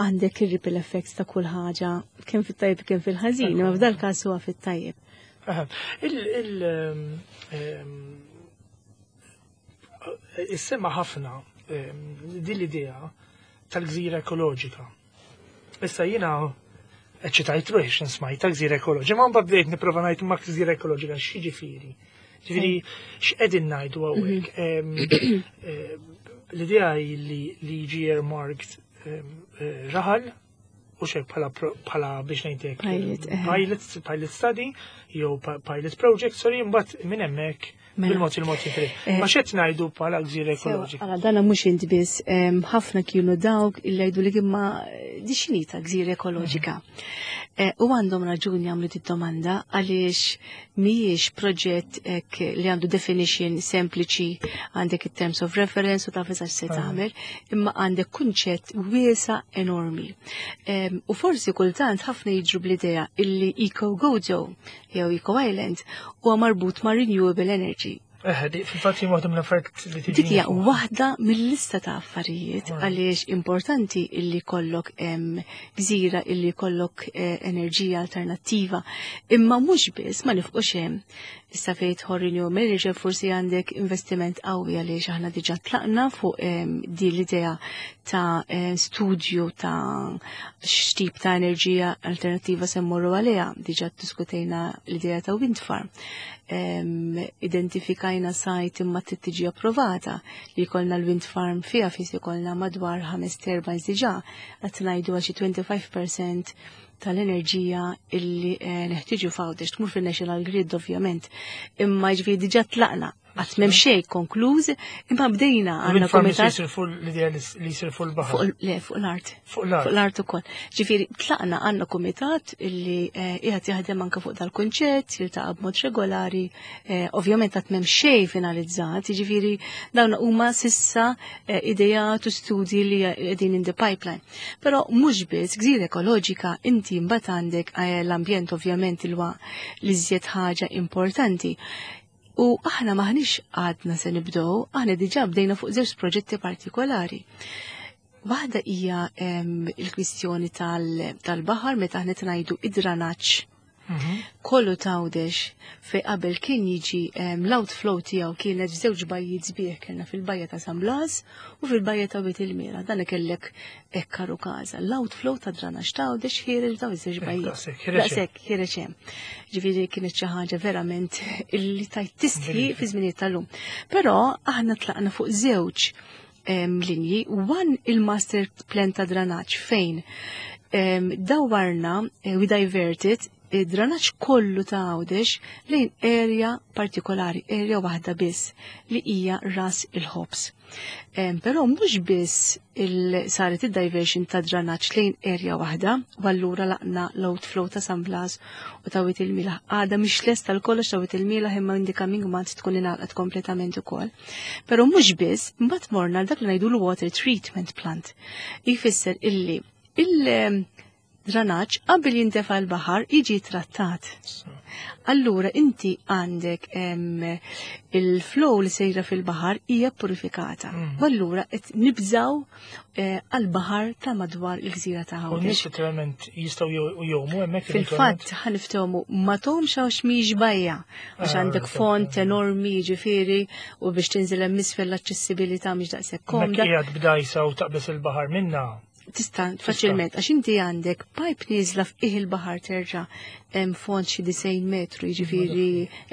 għandek il-ripple effects ta' kull ħaġa, kemm fit-tajjeb kemm fil-ħażin, imma f'dal każ huwa fit-tajjeb. Aha. Il il ehm, ehm, issemma ħafna ehm, din l-idea tal-gżira ekoloġika. Issa jiena eċċitajt ruħi x'in smajt ta' gżira ekoloġika, ma mbagħad bdejt nipprova ngħid ma' gżira ekoloġika x'jiġifieri? Ġifieri x'qegħdin ngħidu hawnhekk? Ehm, ehm, L-idea hi li li jiġi earmarked ehm, eh, raħal u xek bħala pro- bħala biex ngħidlek Pilot, eh. pilot, pilot study jew pa- pilot project, sorry, mbagħad minn hemmhekk Mela. bil-mod il-mod jifri. Eh. Ma x'qed ngħidu bħala gżira ekoloġika? Għala, dana mhux inti biss, em, ħafna kienu dawk illi jgħidu li imma di x'inhi ta' gżira ekoloġika. Eh, U għandhom raġuni jagħmlu di domanda għaliex mhijiex proġett hekk li għandu definition sempliċi, għandek it-terms of reference u taf eżatt se Ah. tagħmel, imma għandek kunċett wiesa enormi. Em, U forsi kultant ħafna jiġru bl-idea illi Eco Gozo jew Eco Island huwa marbut ma' renewable energy. Eh, di- fil-fatt jien waħda mill-affarijiet li tiġi. Dik hija waħda mill-lista ta' affarijiet Right. għaliex importanti illi kollok em, gżira illi kollok eh, enerġija alternattiva. Imma mhux biss ma nifqux hemm. Issa fejn tidħol renewable energy forsi għandek investiment qawwi għaliex aħna diġà tlaqna fuq em, di l-idea ta' eh, studju ta' x'tip ta' enerġija alternattiva se mmorru għaliha. Diġà diskutejna l-idea ta' wind farm. Em, identifikajna site imma trid tiġi approvata li jkollna l-wind farm fiha fis jkollna madwar ħames turbines diġà qed ngħidu għal xi twenty-five percent tal-enerġija illi eh, neħtieġu f'Għawdex tmur fil-National Grid ovvjament. Imma ġifieri diġà tlaqna, qatt m'hemm xejn konkluż, imma bdejna għandna Wind farm komitat jisir fuq l-idea li jisir fuq il-baħar. Fuq, le, fuq l-art. Fuq l-art. Fuq l-art ukoll. Ġifieri tlaqna, għandna kumitat illi eh, qiegħed jaħdem anke fuq dal-kunċett, jiltaqa' b'mod regolari, eh, ovvjament qatt m'hemm xejn finalizzat, jiġifieri dawn huma sissa eh, idejat u studji li qegħdin in the pipeline. Però mhux biss gżira ekoloġika, inti mbagħad għandek eh, l-ambjent ovvjament il-wa li żjed ħaġa importanti. U aħna maħniex għadna se nibdew, aħna diġà bdejna fuq żewġ proġetti partikolari. Waħda hija em, il-kwistjoni tal- tal-baħar meta aħna ngħidu id-dranaġġ Mhm. kollu t'Għawdex fej qabel kien jiġi em, l-outflow tiegħu kienet f'żewġ bajjiet sbieħ, kellna fil-bajja ta' San Blas u fil-bajja ta' Wied il-Mira. Dan kellek ekkaru każa. L-outflow ta' dranaġġ t'Għawdex ħiereġ daw iż-żewġ bajjiet. Daqshekk, ħiereġ hemm. Daqshekk ħiereġ hemm. Ġifieri kienet xi ħaġa verament illi tajt tistħi fi żminijiet tal-lum. Però aħna tlaqna fuq żewġ em, linji, one il-master plan ta' dranaġġ fejn em, dawwarna, eh, we diverted id-dranaġġ kollu ta' Għawdex lejn area partikolari, area waħda biss li hija Ras il-Ħobż. Em, Però mhux biss il saret id-diversion ta' dranaġġ lejn area waħda, u allura laqna l-outflow ta' San Blas u ta' Wied il-Milaħ. Għada mhix lesta l-kollox ta' Wied il-Milaħ imma in the coming months tkun ingħalqet kompletament ukoll. Però mhux biss, mbagħad morna dak li ngħidu l-water treatment plant. Jfisser illi il- dranaġġ qabel jintefa' l-baħar jiġi trattat. Allura inti għandek em, il-flow li sejra fil-baħar hija purifikata. Mm. U allura qed nibżaw eh, għal-baħar ta' madwar il-gżira ta' U n-nies Għawdex. literalment jistgħu jgħumu hemmhekk? Fil-fatt ħa niftehmu ma tgħumx għax mhix bajja, għax Ah, għandek right, font okay. enormi ġifieri u biex tinżel hemm isfel l-aċċessibilità mhix daqshekk Komda. komda. Qiegħed b'dajsa u taqbes il-baħar minna. Tista' faċilment, għax inti għandek pipe nieżla f'qiegħ il-baħar terġa' hemm font xi disgħin metru, jiġifieri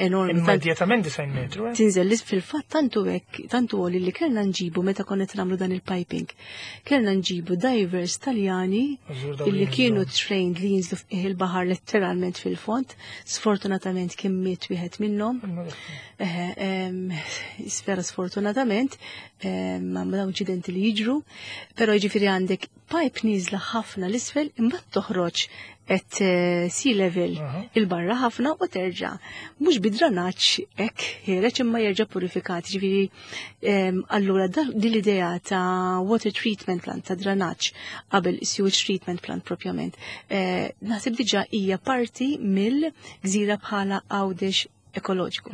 enormi. Tant- Immedjatament disgħin metru, eh? Tinżel lis fil-fatt tantu hekk, tantu għoli li kellna nġibu meta konna qed nagħmlu dan il-piping. Kellna nġibu divers Taljani Żgur dawn illi li kienu jinżlu. trained li jinżlu f'qiegħ il-baħar letteralment fil-font. Sfortunatament kien miet wieħed minnhom. Eħe, em, sfera sfortunatament, em, ma dawn inċidenti li jiġru, però jiġifieri għandek pipe nieżla ħafna l-isfel imbagħad toħroġ at eh, sea level Aha. il-barra ħafna u terġa'. Mhux bidranaġġ hekk ħiereġ imma jerġa' purifikat. Ġifieri em, allura da- din l-idea ta' water treatment plant ta' dranaġġ qabel sewage treatment plant propjament, eh, naħseb diġà hija parti mill-gżira bħala Għawdex ekoloġiku.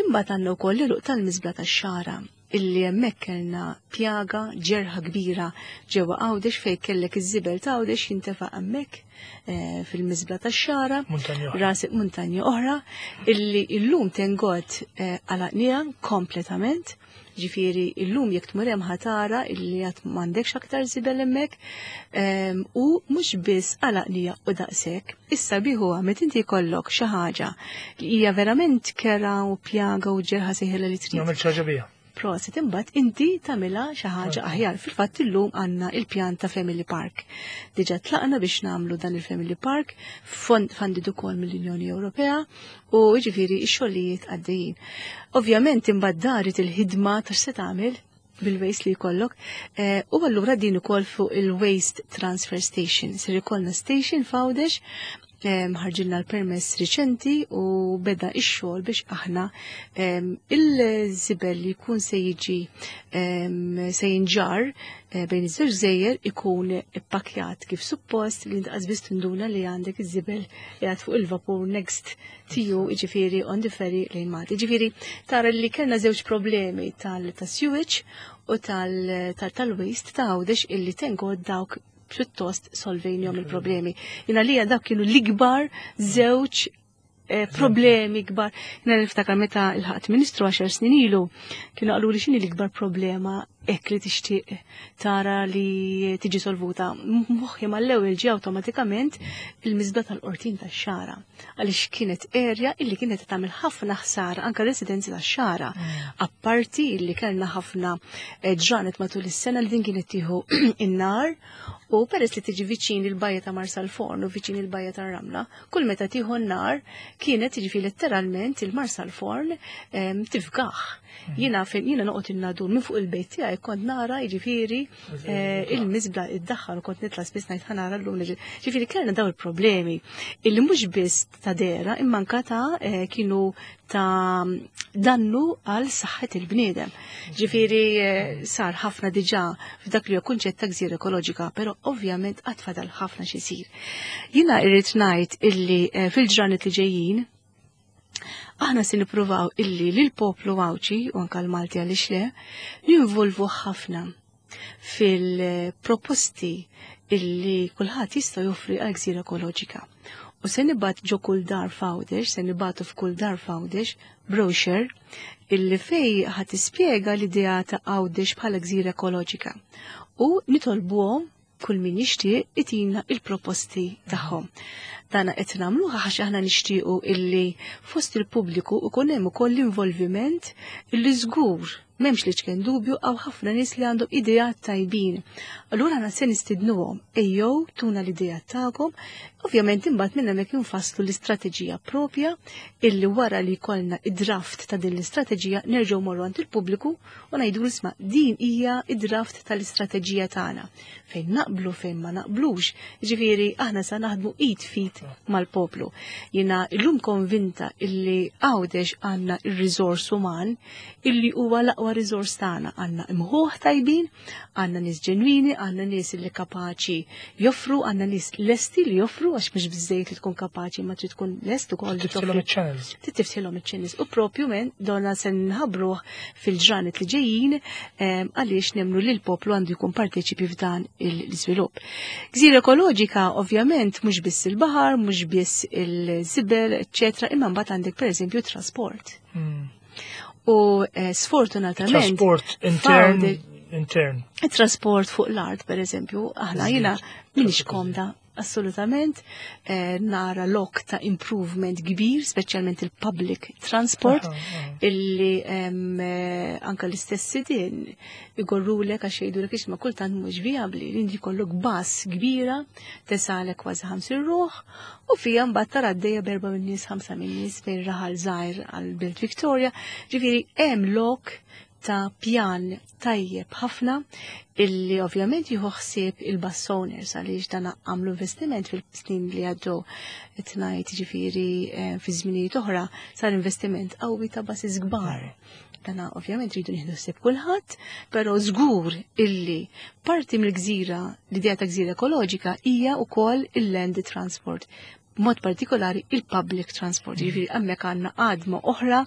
Imbagħad għandna wkoll l-għeluq tal-miżbla tax-Xagħra illi hemmhekk kellna pjaga ġerħa kbira ġewwa Għawdex fejn kellek iż-żibel ta' Għawdex jintefa' hemmhekk eh, fil-miżbla tax-Xagħra Muntanja oħra. ras muntanja oħra illi illum thank God eh, għalaqniha kompletament. Ġifieri illum jekk tmur hemm ħa tara illi għad m'għandekx aktar żibel hemmhekk em, u mhux biss għalaqniha u daqshekk. Issa biħu meta inti jkollok xi ħaġa li hija verament kera u pjaga u ġerħa seħila li trid. Nagħmel ħaġa biha. Prosit, imbagħad inti tagħmilha xi ħaġa aħjar. Fil-fatt illum għandna il-pjan ta' Family Park. Diġà tlaqna biex nagħmlu dan il-Family Park, funded ukoll mill-Unjoni Ewropea u jiġifieri x-xogħlijiet għaddejjin. Ovvjament imbagħad daret il-ħidma ta' x'se tagħmel bil-waste li jkollok. Eh, u allura din ukoll fuq il-Waste Transfer Station. Ser ikollna station f'Għawdex, ħarġilna l-permess riċenti u beda ix-xogħol biex aħna il-żibel li jkun se jiġi se jinġar eh, bejn iż-żewġ gżejjer ikun ippakjat kif suppost, li inti biss tinduna li għandek iż-żibel qiegħed fuq il-vapur next to you, jiġifieri on the ferry lejn Malta. Jiġifieri tara li kellna żewġ problemi tal-sewage u tal-waste ta' Għawdex illi thank God dawk pjuttost solvejnihom il-problemi. Jiena li dak kienu l-ikbar żewġ eh, problemi kbar. Jiena niftakar meta lħaqt ministru għaxar snin ilu, kienu qalu li x'inhi l-ikbar problema hekk li tixtieq tara li tiġi solvuta. Moħħi mal-ewwel ġie awtomatikament il-miżbla tal-Qortin tax-Xagħra. Għaliex kienet area illi kienet tagħmel ħafna ħsara anke residenzi tax-Xagħra. Mm. Apparti illi kellna ħafna eh, ġranet matul is-sena li din kienet tieħu in-nar u peress li tiġi viċin il-bajja ta' Marsalforn u viċin il-bajja ta' Ramla, kull meta tieħu n-nar kienet tiġi letteralment il-Marsalforn tifgaħ. Mm. Jiena fejn jiena noqgħod in-Nadur, minn fuq il-bejt tiegħi kont nara jiġifieri eh, il-miżbla iddaħħal u kont nitla' spiss ngħid ħa nara llum. Ġifieri kellna daw il-problemi illi mhux biss ta' dera imma anka ta' eh, kienu ta' dannu għal saħħet il-bniedem. Ġifieri eh, sar ħafna diġà f'dak li kunċett ta' gżira ekoloġika, però ovvjament għad fadal ħafna xisir. Jiena irrid ngħid illi fil-ġranet li ġejjin aħna se nippruvaw illi lil poplu Għawdxi u anka l-Malti, għaliex le, ninvolvu ħafna fil-proposti illi kulħadd jista' joffri għal gżira ekoloġika. U se nibgħat ġo kull dar f'Għawdex, se nibgħatu f'kull dar f'Għawdex brochure illi fej ħa tispjega l-idea ta' Għawdex bħala gżira ekoloġika. U nitolbuhom kull min jixtieq itina il-proposti tagħhom. Dana qed nagħmluha għax aħna nixtiequ illi fost il-pubbliku ikun hemm ukoll l-involviment illi żgur m'hemmx li ċken dubju għaw ħafna nies li għandhom idejat tajbin. Allura aħna se nistidnuhom, ejjew tuna l-idejat tagħkom, ovvjament imbagħad minn hemmhekk infasslu l-istrateġija propja illi wara li jkollna id-draft ta' din l-istrateġija nerġgħu morru għand il-pubbliku u ngħidu, "Isma', din hija id-draft tal-istrateġija tagħna. Fejn naqblu, fejn ma naqblux." Ġifieri aħna sa naħdmu id f'id mal-poplu. Jiena illum konvinta illi Għawdex għandna il-riżors uman illi huwa l-aqwa riżors tagħna. Għandna imħuħ tajbin, għandna nies ġenwini, għandna nies illi kapaċi joffru, għandna nies lesti li joffru, għax mhux biżejjed li tkun kapaċi, ma trid tkun lest ukoll li Tiftħilhom iċ-channels. Tiftħilhom iċ-channels. U propju men donna se nħabbruh fil-ġranet li ġejjin em, għaliex nemmnu li l-poplu għandu jkun parteċipi f'dan l-iżvilupp. Gżira ekoloġika ovvjament mhux biss il-baħar, mhux biss il-żibel, eċċetera, imma mbagħad għandek pereżempju trasport. Mm. U eh, sfortunatament Trasport intern, f'Għawdex- intern. trasport fuq l-art, per eżempju, aħna jiena minix Traffiku komda assolutament, eh, nara lok ta' improvement kbir, speċjalment il-public transport, Aha, aha. illi em, eh, anka l-istess sidin igorrulek għax jgħidulek, "Isma', kultant mhux viabli li inti jkollok bus kbira tesalek kważi ħamsin ruħ u fija mbagħad tara għaddejja b'erba' minn nies, ħamsa minn nies bejn raħal żgħir għal Belt Victoria." Ġifieri hemm lok ta' pjan tajjeb ħafna illi ovvjament jieħu ħsieb il-bus owners, għaliex dan għamlu investiment fil-snin li għaddew, qed ngħid ġifieri eh, fi żminijiet oħra sar investiment qawwi ta' buses kbar. Dana ovvjament rridu nieħdu ħsieb kulħadd, però żgur illi parti mill-gżira, l-idea ta' gżira ekoloġika hija wkoll il-land transport, mod partikolari il-public transport. Ġifieri hemmhekk għandna għadma oħra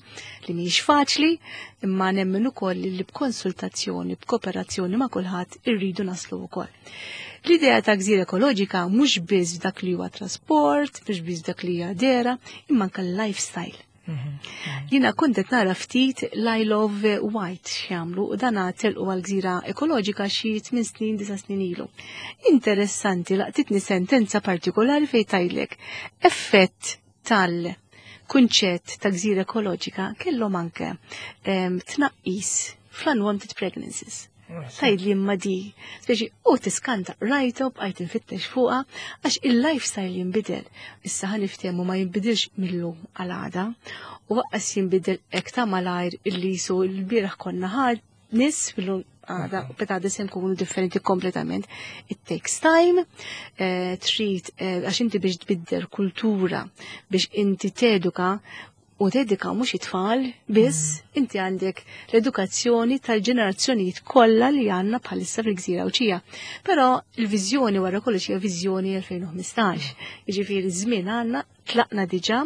li mhijiex faċli, imma nemmen ukoll li b'konsultazzjoni, b'kooperazzjoni ma' kulħadd irridu naslu wkoll. L-idea ta' gżira ekoloġika mhux biss dak li huwa trasport, mhux biss dak li hija dera, imma anke l-lifestyle. Jiena kont qed nara ftit l-Isle of Wight x'jagħmlu u dana telqu għal gżira ekoloġika xi tmien snin, disa' snin ilu. Interessanti, laqtitni sentenza partikolari fejn tgħidlek effett tal-kunċett ta' gżira ekoloġika kellhom anke em, tnaqqis fl-unwanted pregnancies. Tgħid li imma di, speċi u tiskanta, rajtu bqajt infittex fuqha, għax il-lifestyle jinbidel. Issa ħa niftehmu, ma jinbidilx mill-lum għal għada, u lanqas jinbidel hekk ta' malajr illi jisu l-bieraħ konna ħad nis fil-lum għada, u pitgħada se nkunu differenti kompletament. It takes time, eh, trid, eh, għax inti biex tbiddel kultura, biex inti teduka, u tedika mhux it-tfal biss, inti għandek l-edukazzjoni tal-ġenerazzjonijiet kollha li għandna bħalissa fil-gżira Għawdxija. Però il-viżjoni wara kollox hija viżjoni elfejn u ħmistax. Jiġifieri żmien għandna, tlaqna diġà,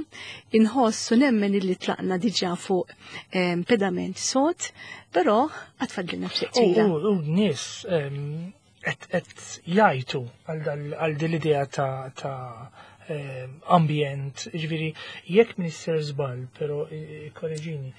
inħossu nemmen illi tlaqna diġà fuq em, pedament sod, però għad fadlilna ftit U twila. u- u nies em, qed qed jgħajtu għal dal- għal din l-idea ta' ta' em, ambjent, ġifieri jekk minister żball, però eh, korreġini,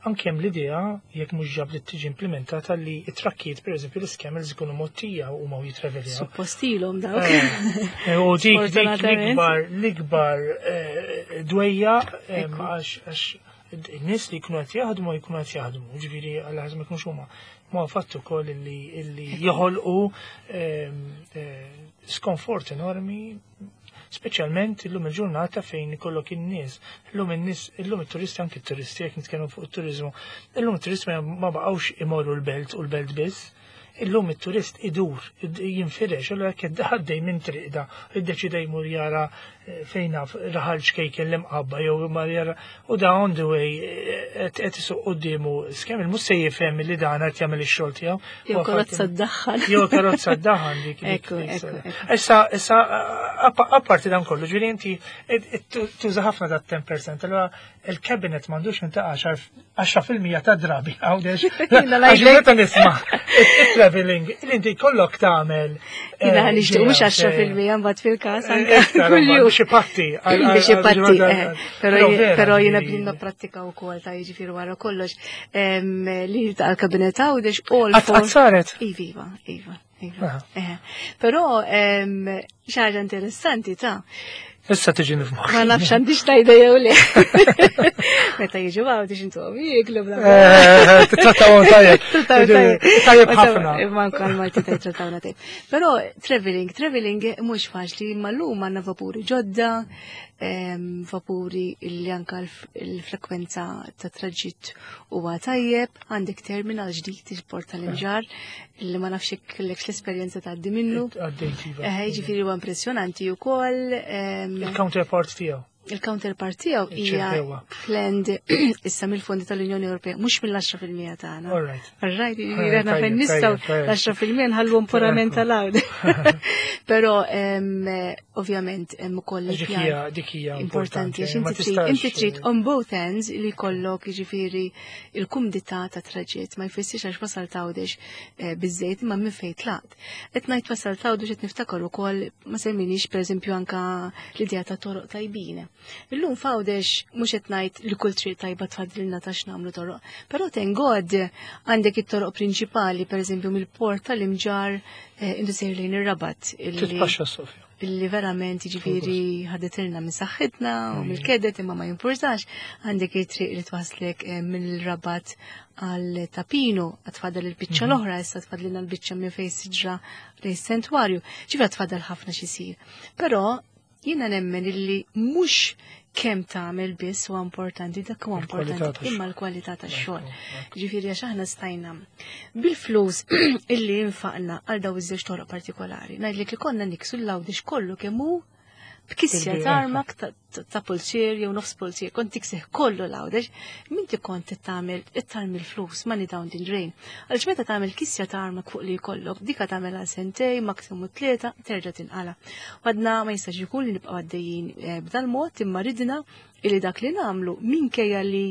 anke hemm l-idea, jekk mhux ġab li tiġi implementata, li it-trakkijiet, pereżempju l-iScamels, ikunu mgħottija u ma jitraveljaw. Suppostilhom dawk. Eh, U dik dik Sfortunatament. l-ikbar l-ikbar eh, dwejja em, Ekku. għax għax in-nies li jkunu qed jaħdmu jkunu qed jaħdmu, ġifieri għal ħaż ma jkunux huma. Ma fattu wkoll illi illi joħolqu em, eh, skonfort enormi, speċjalment illum il-ġurnata fejn ikollok in-nies. Illum in-nies, illum it-turisti, anki t-turisti, jekk nitkellmu fuq it-turiżmu, illum it-turisti ma ma baqgħux imorru l-belt u l-belt biss. Illum it-turist idur, id- jinfirex, allura jekk għaddej minn triqda, iddeċida jmur jara eh, fejn naf raħal ċkejken l-Imqabba jew mar jara u da on the way eh, qed qed isuq quddiemu iScamel, mhux se jifhem li dan qed jagħmel ix-xogħol tiegħu. Jew Huwa karozza fatt- ddaħħal. Jew karozza ddaħħal dik. dik- Ekku, dik- ekku, ekku. Issa, issa, appa- apparti dan kollu, ġifieri inti id- id- tuża ħafna da ten percent, allura il-cabinet m'għandux inta għaxra fil-mija ta' drabi, Għawdex. Jiena Għax ngħidlek. meta nisma' il-traveling, li inti kollok tagħmel. Jiena eh, nixtieq mhux ġimgħa, għaxra fil-mija mbagħad fil-każ anke Iktar, kuljum. biex ipatti. għal- Biex għal- ipatti, għal- eh, però Però vera, però jiena ġifieri- bdinna prattika wkoll ta' jiġifieri wara kollox em, li tal-kabinet Għawdex all Għat for għat saret. Iva, iva, iva. Iva. Aha. Eh, Però em, xi ħaġa interessanti ta' Issa tiġi nifmoħ. ma nafx għandix tajda jew le. Meta jiġu Għawdex intu jieklu bla. Eh, Titrattawhom tajjeb. Trattaw tajjeb. Tajjeb ħafna. Ma anka l-Malti tajjeb trattawna tajjeb. Però traveling, traveling mhux faċli, imma llum għandna vapuri ġodda, em, vapuri illi anka l- il-frekwenza ta' traġitt huwa tajjeb, għandek terminal ġdid, il-port tal-Imġarr, illi ma nafx jekk kellekx l-esperjenza tgħaddi minnu. Għaddejt, iva. Eh, Jiġifieri huwa impressjonanti wkoll. em, Il-counterpart tiegħu. Il-counterpart tiegħu hija Iċ-ċirkewa. planned issa mill-fondi tal-Unjoni Ewropea, mhux mill-għaxra fil-mija tagħna. All right. All right, jiġifieri Eh, aħna fejn tajjeb, nistgħu tajjeb, tajjeb. l-għaxra fil-mija nħallhom purament tal-għawd. Però em, ovvjament hemm ukoll Dik il-pjan hija dik hija importanti għax Ma inti trid tistax- inti trid on both ends li jkollok jiġifieri il-kumdità ta' traġitt. Ma jfissirx għax wasal Għawdex eh, biżejt imma minn fejn tlaqt. Qed ngħid wasal Għawdex, qed niftakar ukoll ma semminix pereżempju anka l-idea ta' toroq tajbin. Illum f'Għawdex mhux qed ngħid li kull triq tajba tfadlilna ta' x'nagħmlu toroq, però thank God għandek it-toroq prinċipali, pereżempju mill-port tal-Imġarr eh, inti sejr lejn ir-Rabat illi Titpaxxa Sofja. illi verament jiġifieri ħaditilna minn saħħitna u mill-kedet, imma ma jimpurtax. Għandek it-triq li twaslek eh, mill-Rabat għal Ta' Pinu, għad tfadal il-biċċa l-oħra, issa tfadlilna l-biċċa minn fejn siġra lejn sentwarju. Ġifieri tfadal ħafna xisir. Però jiena nemmen illi mhux kemm tagħmel biss huwa importanti, dak huwa Il-kwalità importanti, tax-xogħol. imma l-kwalità tax-xogħol. Ġifieri għax aħna stajna bil-flus illi infaqna għal daw iż-żewġ toroq partikolari. Ngħidlek li konna niksu l-Għawdex kollu kemm hu b'kisja Bil-bi- tarmak ta' ta- ta' pulzier jew nofs pulzier, kont tiksih kollu l-Għawdex, minti kont tagħmel ittarmi l-flus, money down the drain. Għaliex meta tagħmel kisja tarmak fuq li jkollok, dika tagħmel għal sentej, maksimu tlieta, terġa' tinqala. Għadna ma jistax ikun li nibqgħu għaddejjin eh, b'dal mod, imma ridna illi dak li nagħmlu, minkejja li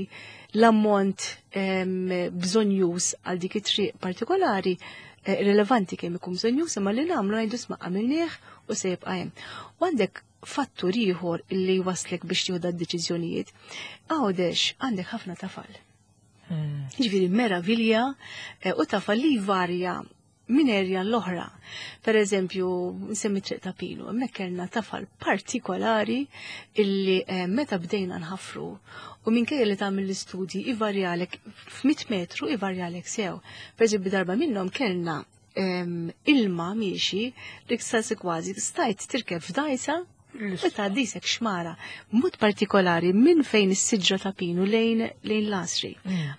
l-ammont em, bżonjuż għal dik it-triq partikolari eh, rilevanti kemm ikun bżonjuż, imma li nagħmlu ngħidu sma' għamilnieh u se jibqa' hemm. U għandek fattur ieħor illi waslek biex tieħu d-deċiżjonijiet. Għawdex għandek ħafna tafal. Mm. Ġifieri meravilja eh, u tafal li varja minn area l-oħra. Per eżempju, nsemmi Triq ta' Pinu, hemmhekk kellna tafal partikolari illi eh, meta bdejna nħafru u minkejja li tagħmel l-istudji ivarjalek f'mit metru ivarjalek sew. Per eżempju, darba minnhom kellna em, ilma miexi li ksasi kważi stajt tirkeb f'dajsa u tgħaddisek xmara, mod partikolari minn fejn is-siġra ta' Pinu lejn lejn l-Għasri.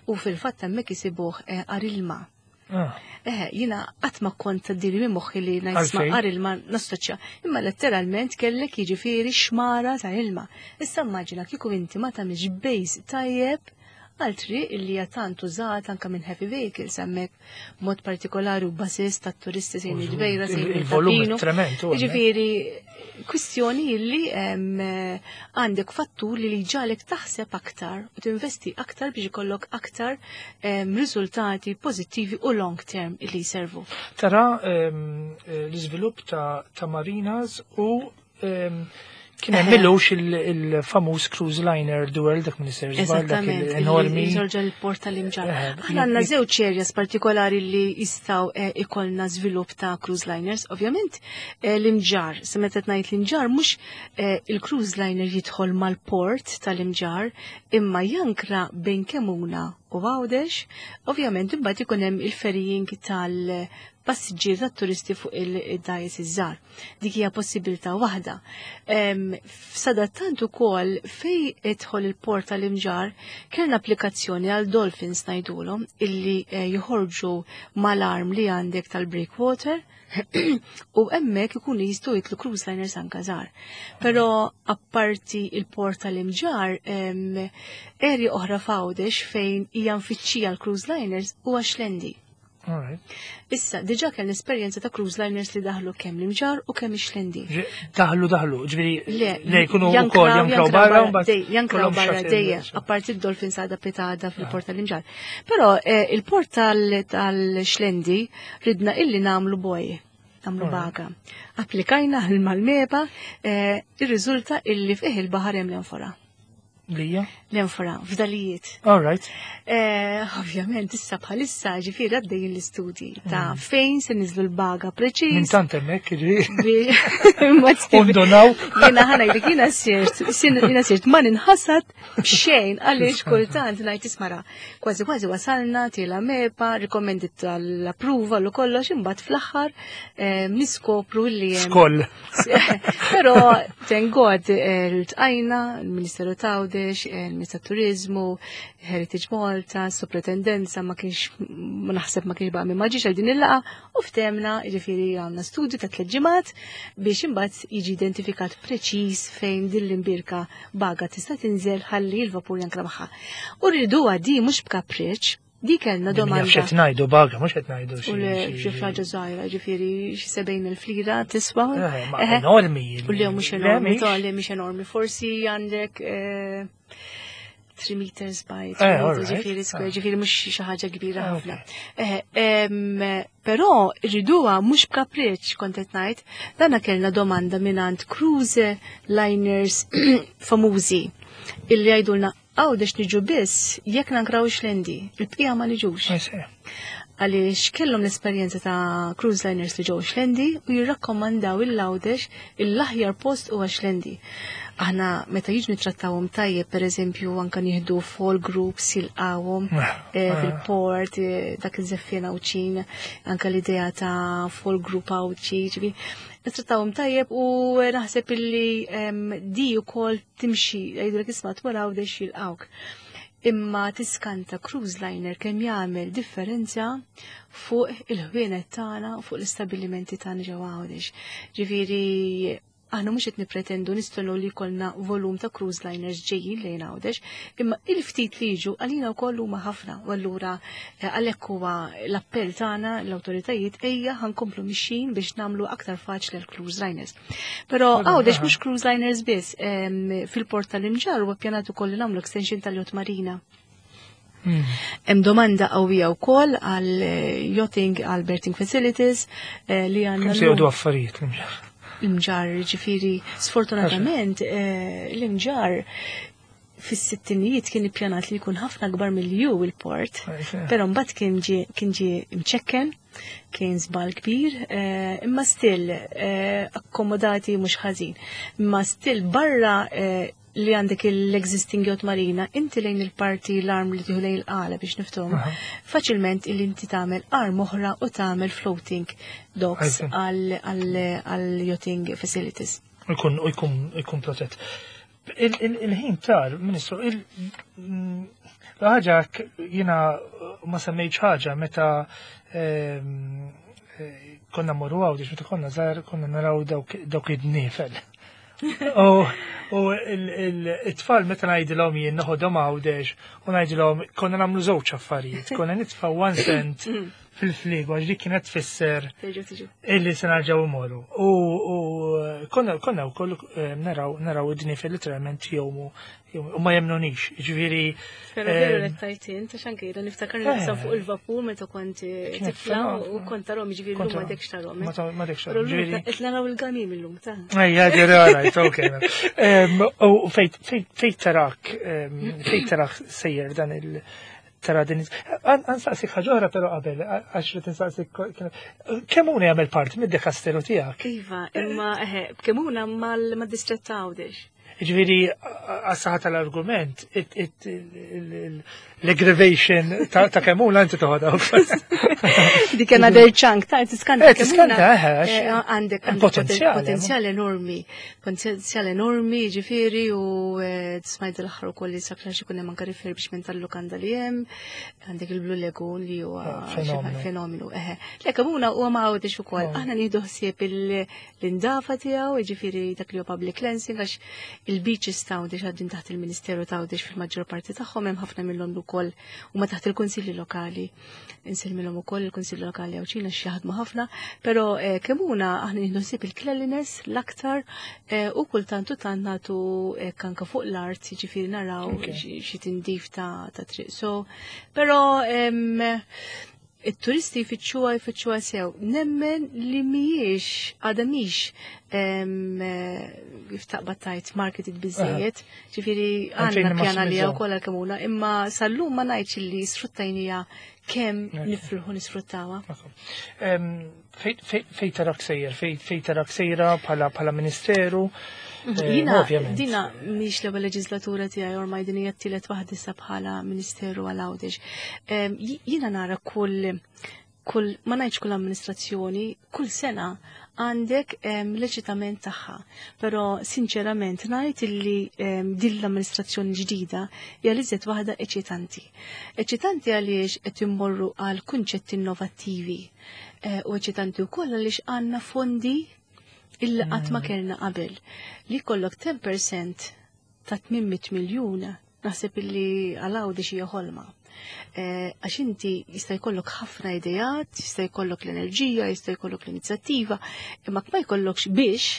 U fil-fatt hemmhekk isibuh eh, għar ilma. Ah, Eh, jina qatt ma kont tgħaddili minn moħħi li ngħid Għalfejn? għar ilma nassoċja, imma letteralment kellek jiġifieri xmara ta' ilma. Issa immaġina kieku inti ma tagħmilx base tajjeb għal triq illi hija tant użat anke minn heavy vehicles hemmhekk mod partikolari u buses tat-turisti sejn il-Ġbejra sejn Il-volum il-Tapinu. trement. u hemmhekk. Ġifieri, kwistjoni illi em, għandek fattur li li ġalek taħseb aktar u tinvesti aktar biex ikollok aktar em, riżultati pozittivi u long term illi jservu. Tara ehm, eh, l-iżvilupp ta' ta' marinas u ehm, kien hemm millux il-famuż cruise liner Duel dak Minister żball dak Eżattament, enormi. Ġorġa l-port tal-Imġarr. Eh, Aħna għandna żewġ areas partikolari li jistgħu eh, ikollna żvilupp ta' cruise liners. Ovvjament eh, l-Imġarr, se meta ngħid l-Imġarr mhux eh, il-cruise liner jidħol mal-port tal-Imġarr imma jankra bejn Kemuna u Għawdex, ovvjament imbagħad ikun hemm il-ferrying tal-passiġġieri tat-turisti fuq il-dgħajjes iż-żgħar. Dik hija possibilità waħda. Em, Sadattant ukoll fej idħol il-port tal-Imġarr kellna applikazzjoni għal dolphins ngħidulhom illi eh, joħorġu mal-arm li għandek tal-breakwater u hemmhekk ikunu jistgħu jitlu cruise liners anka żgħar. Però apparti il-port tal-Imġarr, em, area oħra f'Għawdex fejn hija mfittxija l-cruise liners huwa Xlendi. All right. Issa, diġà kellna esperjenza ta' cruise liners li daħlu kemm l-Imġarr u kemm ix-Xlendi. Ġi- Daħlu daħlu, ġifieri Le, le jkunu wkoll jankraw barra u mbagħad dej, jankraw kollhom barra shuttle. dejjem, apparti il-Dolphins għada pitada fil-port tal-Imġarr. Però eh, il-port tal- tal-Xlendi ridna illi nagħmlu buoy, nagħmlu baga. Applikajna mal-MEPA, eh, ir-riżulta illi fih il-baħar hemm l-enfora. Lija? L-enfora, fdalijiet. All right. Eh, ovvjament, issa bħalissa ġifieri għaddejjin l-istudji ta' fejn se niżlu l-baga preċiż. Minn tant hemmhekk jiġifieri. Bi- Undonaw. Jiena ħa ngħidlek, jiena sirt, jiena sirt ma ninħasad b'xejn għaliex kultant ngħid ismara. Kważi kważi wasalna tiela MEPA, recommended tal-approval u kollox, imbagħad fl-aħħar eh, niskopru li hemm Skoll. Però, thank God, eh, ltqajna, il-Ministeru t'Għawdex, il-Ministru Turizmu, Heritage Malta, Sopratendenza, ma kienx, ma naħseb ma kienx baqa' ma ġiex għal din il-laqgħa, u ftemna, ġifieri għamna studju ta' tliet ġimgħat biex imbagħad jiġi identifikat preċiż fejn din l-imbirka baga tista' tinżel ħalli l-vapur jankra magħha. U rridu di mhux b'kapriċ, di kellna Domanda. domanda. X'qed ngħidu baga, mhux qed ngħidu xi. U le xi ħaġa żgħira, ġifieri xi sebgħin elf lira tiswa. Eh, ma Eħe. enormi. U le mhux Le, enormi, mhix. ta' le mhix enormi. Forsi għandek eh, three meters by three Eh, meters, alright. ġifieri square, Ah. ġifieri mhux xi ħaġa kbira Ah, ħafna. Eh, em, Però rriduha mhux b'kapriċ kont qed ngħid, dana kellna domanda mingħand cruise liners famużi illi jgħidulna Għawdex niġu biss jekk nankraw Xlendi, il-bqija ma niġux Ma jsir. Għaliex kellhom l-esperjenza ta' cruise liners li ġew Xlendi u jirrakkomandaw il-Għawdex il-aħjar post huwa Xlendi. Aħna meta jiġu nittrattawhom tajjeb, pereżempju anka nieħdu fall groups jilqawhom eh, fil-port, eh, dak iż-żeffien Għawdxin, anka l-idea ta' fall group Għawdxi, ġifieri nittrattawhom tajjeb u naħseb illi em, di wkoll timxi, jgħidulek isma' tmur Għawdex jilqawk. Imma tiskanta cruise liner kemm jagħmel differenza fuq il-ħwienet tagħna u fuq l-istabbilimenti tagħna ġewwa Għawdex. Ġifieri aħna mhux qed nippretendu nistennu li jkollna volum ta' cruise liners ġejjin lejn Għawdex, imma il-ftit li jiġu għalina wkoll huma ħafna u allura eh, għalhekk huwa l-appell tagħna l-awtoritajiet ejja ħa nkomplu mixjin biex nagħmlu aktar faċli għal cruise liners. Però Għawdex mhux cruise liners biss, em, fil-port tal-Imġarr huwa ppjanat ukoll li nagħmlu extension tal-Yacht Marina. Mm. Hemm domanda qawwija wkoll għal eh, yachting, għal berthing facilities eh, li għandna Kemm se jgħodu affarijiet l-Imġarr? L-Imġarr, ġifieri, sfortunatament, eh, l-Imġarr Fis-sittinijiet kien ippjanat li jkun ħafna kbar milli hu il-port, però mbagħad kien ġie kien ġie mċekken, kien żball kbir, eh, imma still eh, akkomodati mhux ħażin. Imma still barra eh, li għandek l-existing yacht marina, inti lejn il-parti l-arm li tieħu lejn il-Qala biex niftuhom, faċilment illi inti tagħmel arm oħra u tagħmel floating docks għal yachting facilities. Ikun ikun ikun protett. Il-ħin tar, Ministru, il-ħaġa jiena ma semmejtx ħaġa meta ehm, eh, konna morru Għawdex, meta konna żgħar, konna naraw dawk id-dniefel. U it-tfal meta ngħidilhom jien noħodhom Għawdex u ngħidilhom konna nagħmlu żewġ affarijiet, konna nitfa' one cent fil-fliegu għax dik kienet tfisser illi se nerġgħu imorru. U konna konna wkoll eh, naraw naraw id-dniefel literalment jgħumu u ma jemnunix, ġifieri. Pero veru li tajtin, ta' xanke jiena niftakar naqsam fuq il-vapur meta kont tifla u kont tarahom, ġifieri llum m'għadekx tarahom. M'għadekx tarahom. Ġifieri. Qed naraw il-gamim illum ta' Ejja, ġifieri, alright, ok. U fejn tarak, fejn tarak sejjer dan il- tara din. Ansaqsik ħaġa oħra però qabel, għax li tinsaqsik Kemmuna jagħmel parti mid-dekasteru tiegħek. Iva, imma eħe, Kemmuna mal-distrett ta' Għawdex. Ġifieri, għas-saħħa tal-argument, l-aggravation ta' Kemmuna inti toħodha. Dik another chunk, ta' tiskanta. Eh, tiskanta, eh, Għandek potenzjal enormi, potenzjal enormi, ġifieri, u smajt l-aħħar ukoll li sakra xi kun hemm anke refurbishment tal-lukanda li hemm, għandek il-Blue Lagoon li huwa fenomenu. Eħe. Le Kemmuna huwa ma' Għawdex ukoll. Aħna nieħdu ħsieb l-indafa tiegħu, ġifieri dak li huwa public cleansing, għax il-beaches ta' Għawdex għaddin taħt il-Ministeru ta' Għawdex fil-maġġor parti tagħhom, hemm ħafna minnhom ukoll huma taħt il-kunsilli lokali. Insellmilhom ukoll il-kunsilli lokali Għawdxin għax jaħdmu ħafna, però Kemmuna aħna nieħdu ħsieb il-cleanliness l-aktar u kultant u tant nagħtu kanka fuq l-art, jiġifieri naraw xi tindif ta' triq. So, però it-turisti jfittxuha jfittxuha sew. Nemmen li mhijiex għadha mhix kif taqbad tajt marketed biżejjed, ġifieri għandna pjana li wkoll għal-Kemmuna, imma sal-lum ma ngħidx li sfruttajnija kemm nifilħu nisfruttawha. Fejn tarak sejjer, fejn tarak sejra bħala ministeru? Jiena, dina mhix l-ewwel leġislatura tiegħi, ormai din hija t-tielet waħda issa bħala Ministeru għal Għawdex. Jiena nara kull kull ma ngħidx kull amministrazzjoni, kull sena għandek l-eċitament tagħha. Però sinċerament ngħid illi din l-amministrazzjoni ġdida hija li żed waħda eċitanti. Eċitanti għaliex qed immorru għal kunċetti innovattivi u eċitanti wkoll għaliex għandna fondi illi qatt ma kellna qabel. Li kollok ten percent ta' tmien mitt miljun naħseb illi għal Għawdex hija ħolma. Għax inti jista' jkollok ħafna idejat, jista' jkollok l-enerġija, jista' jkollok l-inizjattiva, imma ma jkollokx biex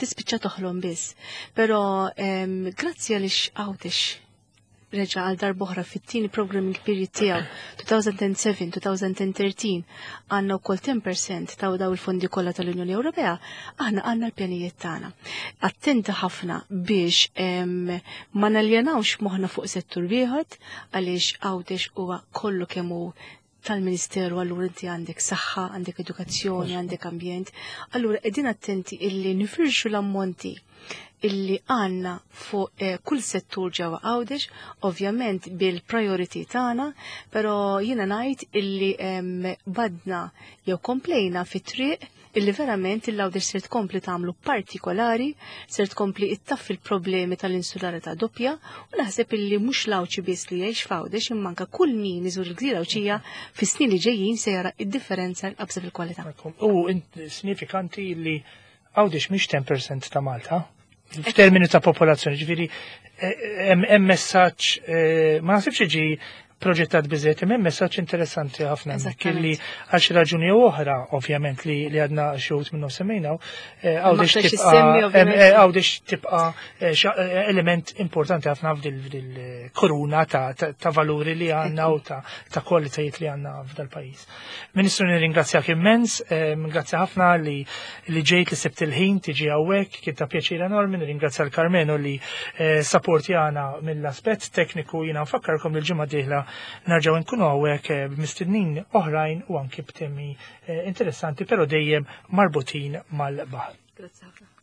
tispiċċa toħlom biss. Però grazzi għaliex Għawdex reġa' għal darb'oħra fit-tieni programming period tiegħu elfejn u sebgħa-elfejn u tlettax għandna wkoll ten percent ta' daw il-fondi kollha tal-Unjoni Ewropea, aħna għandna l-pjanijiet tagħna. Attenti ħafna biex ma naljenawx moħħna fuq settur wieħed għaliex Għawdex huwa kollu kemm hu tal-Ministeru, allura inti għandek saħħa, għandek edukazzjoni, għandek ambjent. Allura qegħdin attenti illi nifirxu l-ammonti illi għanna fuq eh, kull settur ġewwa Għawdex, ovvjament bil-priority tagħna, però jiena ngħid illi em, badna jew komplejna fit-triq illi verament il-Għawdex ser tkompli tagħmlu partikolari, ser tkompli ittaffi il-problemi tal-insularità doppja u naħseb illi mhux l-Għawdxi biss li jgħix f'Għawdex imma anke kull min iżur il-Gżira Għawdxija fis-snin li ġejjin se jara id-differenza l-qabża fil-kwalità. U sinifikanti li Għawdex mhix ten percent ta' Malta f'termini ta' popolazzjoni, ġifieri hemm messaġġ, eh, ma naħsibx ġi proġettat biżejjed, imma messaġġ interessanti ħafna hemmhekk illi għal xi raġuni jew oħra, ovvjament li li għadna xi wħud minnhom semmejnaw, eh, Għawdex tibqa' eh, Għawdex tibqa' eh, element importanti ħafna f'dil-koruna ta' valuri li għandna u ta' kwalitajiet li għandna f'dal-pajjiż. Ministru, nirringrazzjak immens, grazzi ħafna li li ġejt, li sibt il-ħin tiġi hawnhekk, kien ta' pjaċir enormi. Nirringrazzja l-Karmenu li sapportjana mill-aspett tekniku. Jiena nfakkarkom li l-ġimgħa dieħla nerġgħu nkunu hawnhekk eh, b'mistednin oħrajn u anki b'temi eh, interessanti, però dejjem marbutin mal-baħar. Grazie.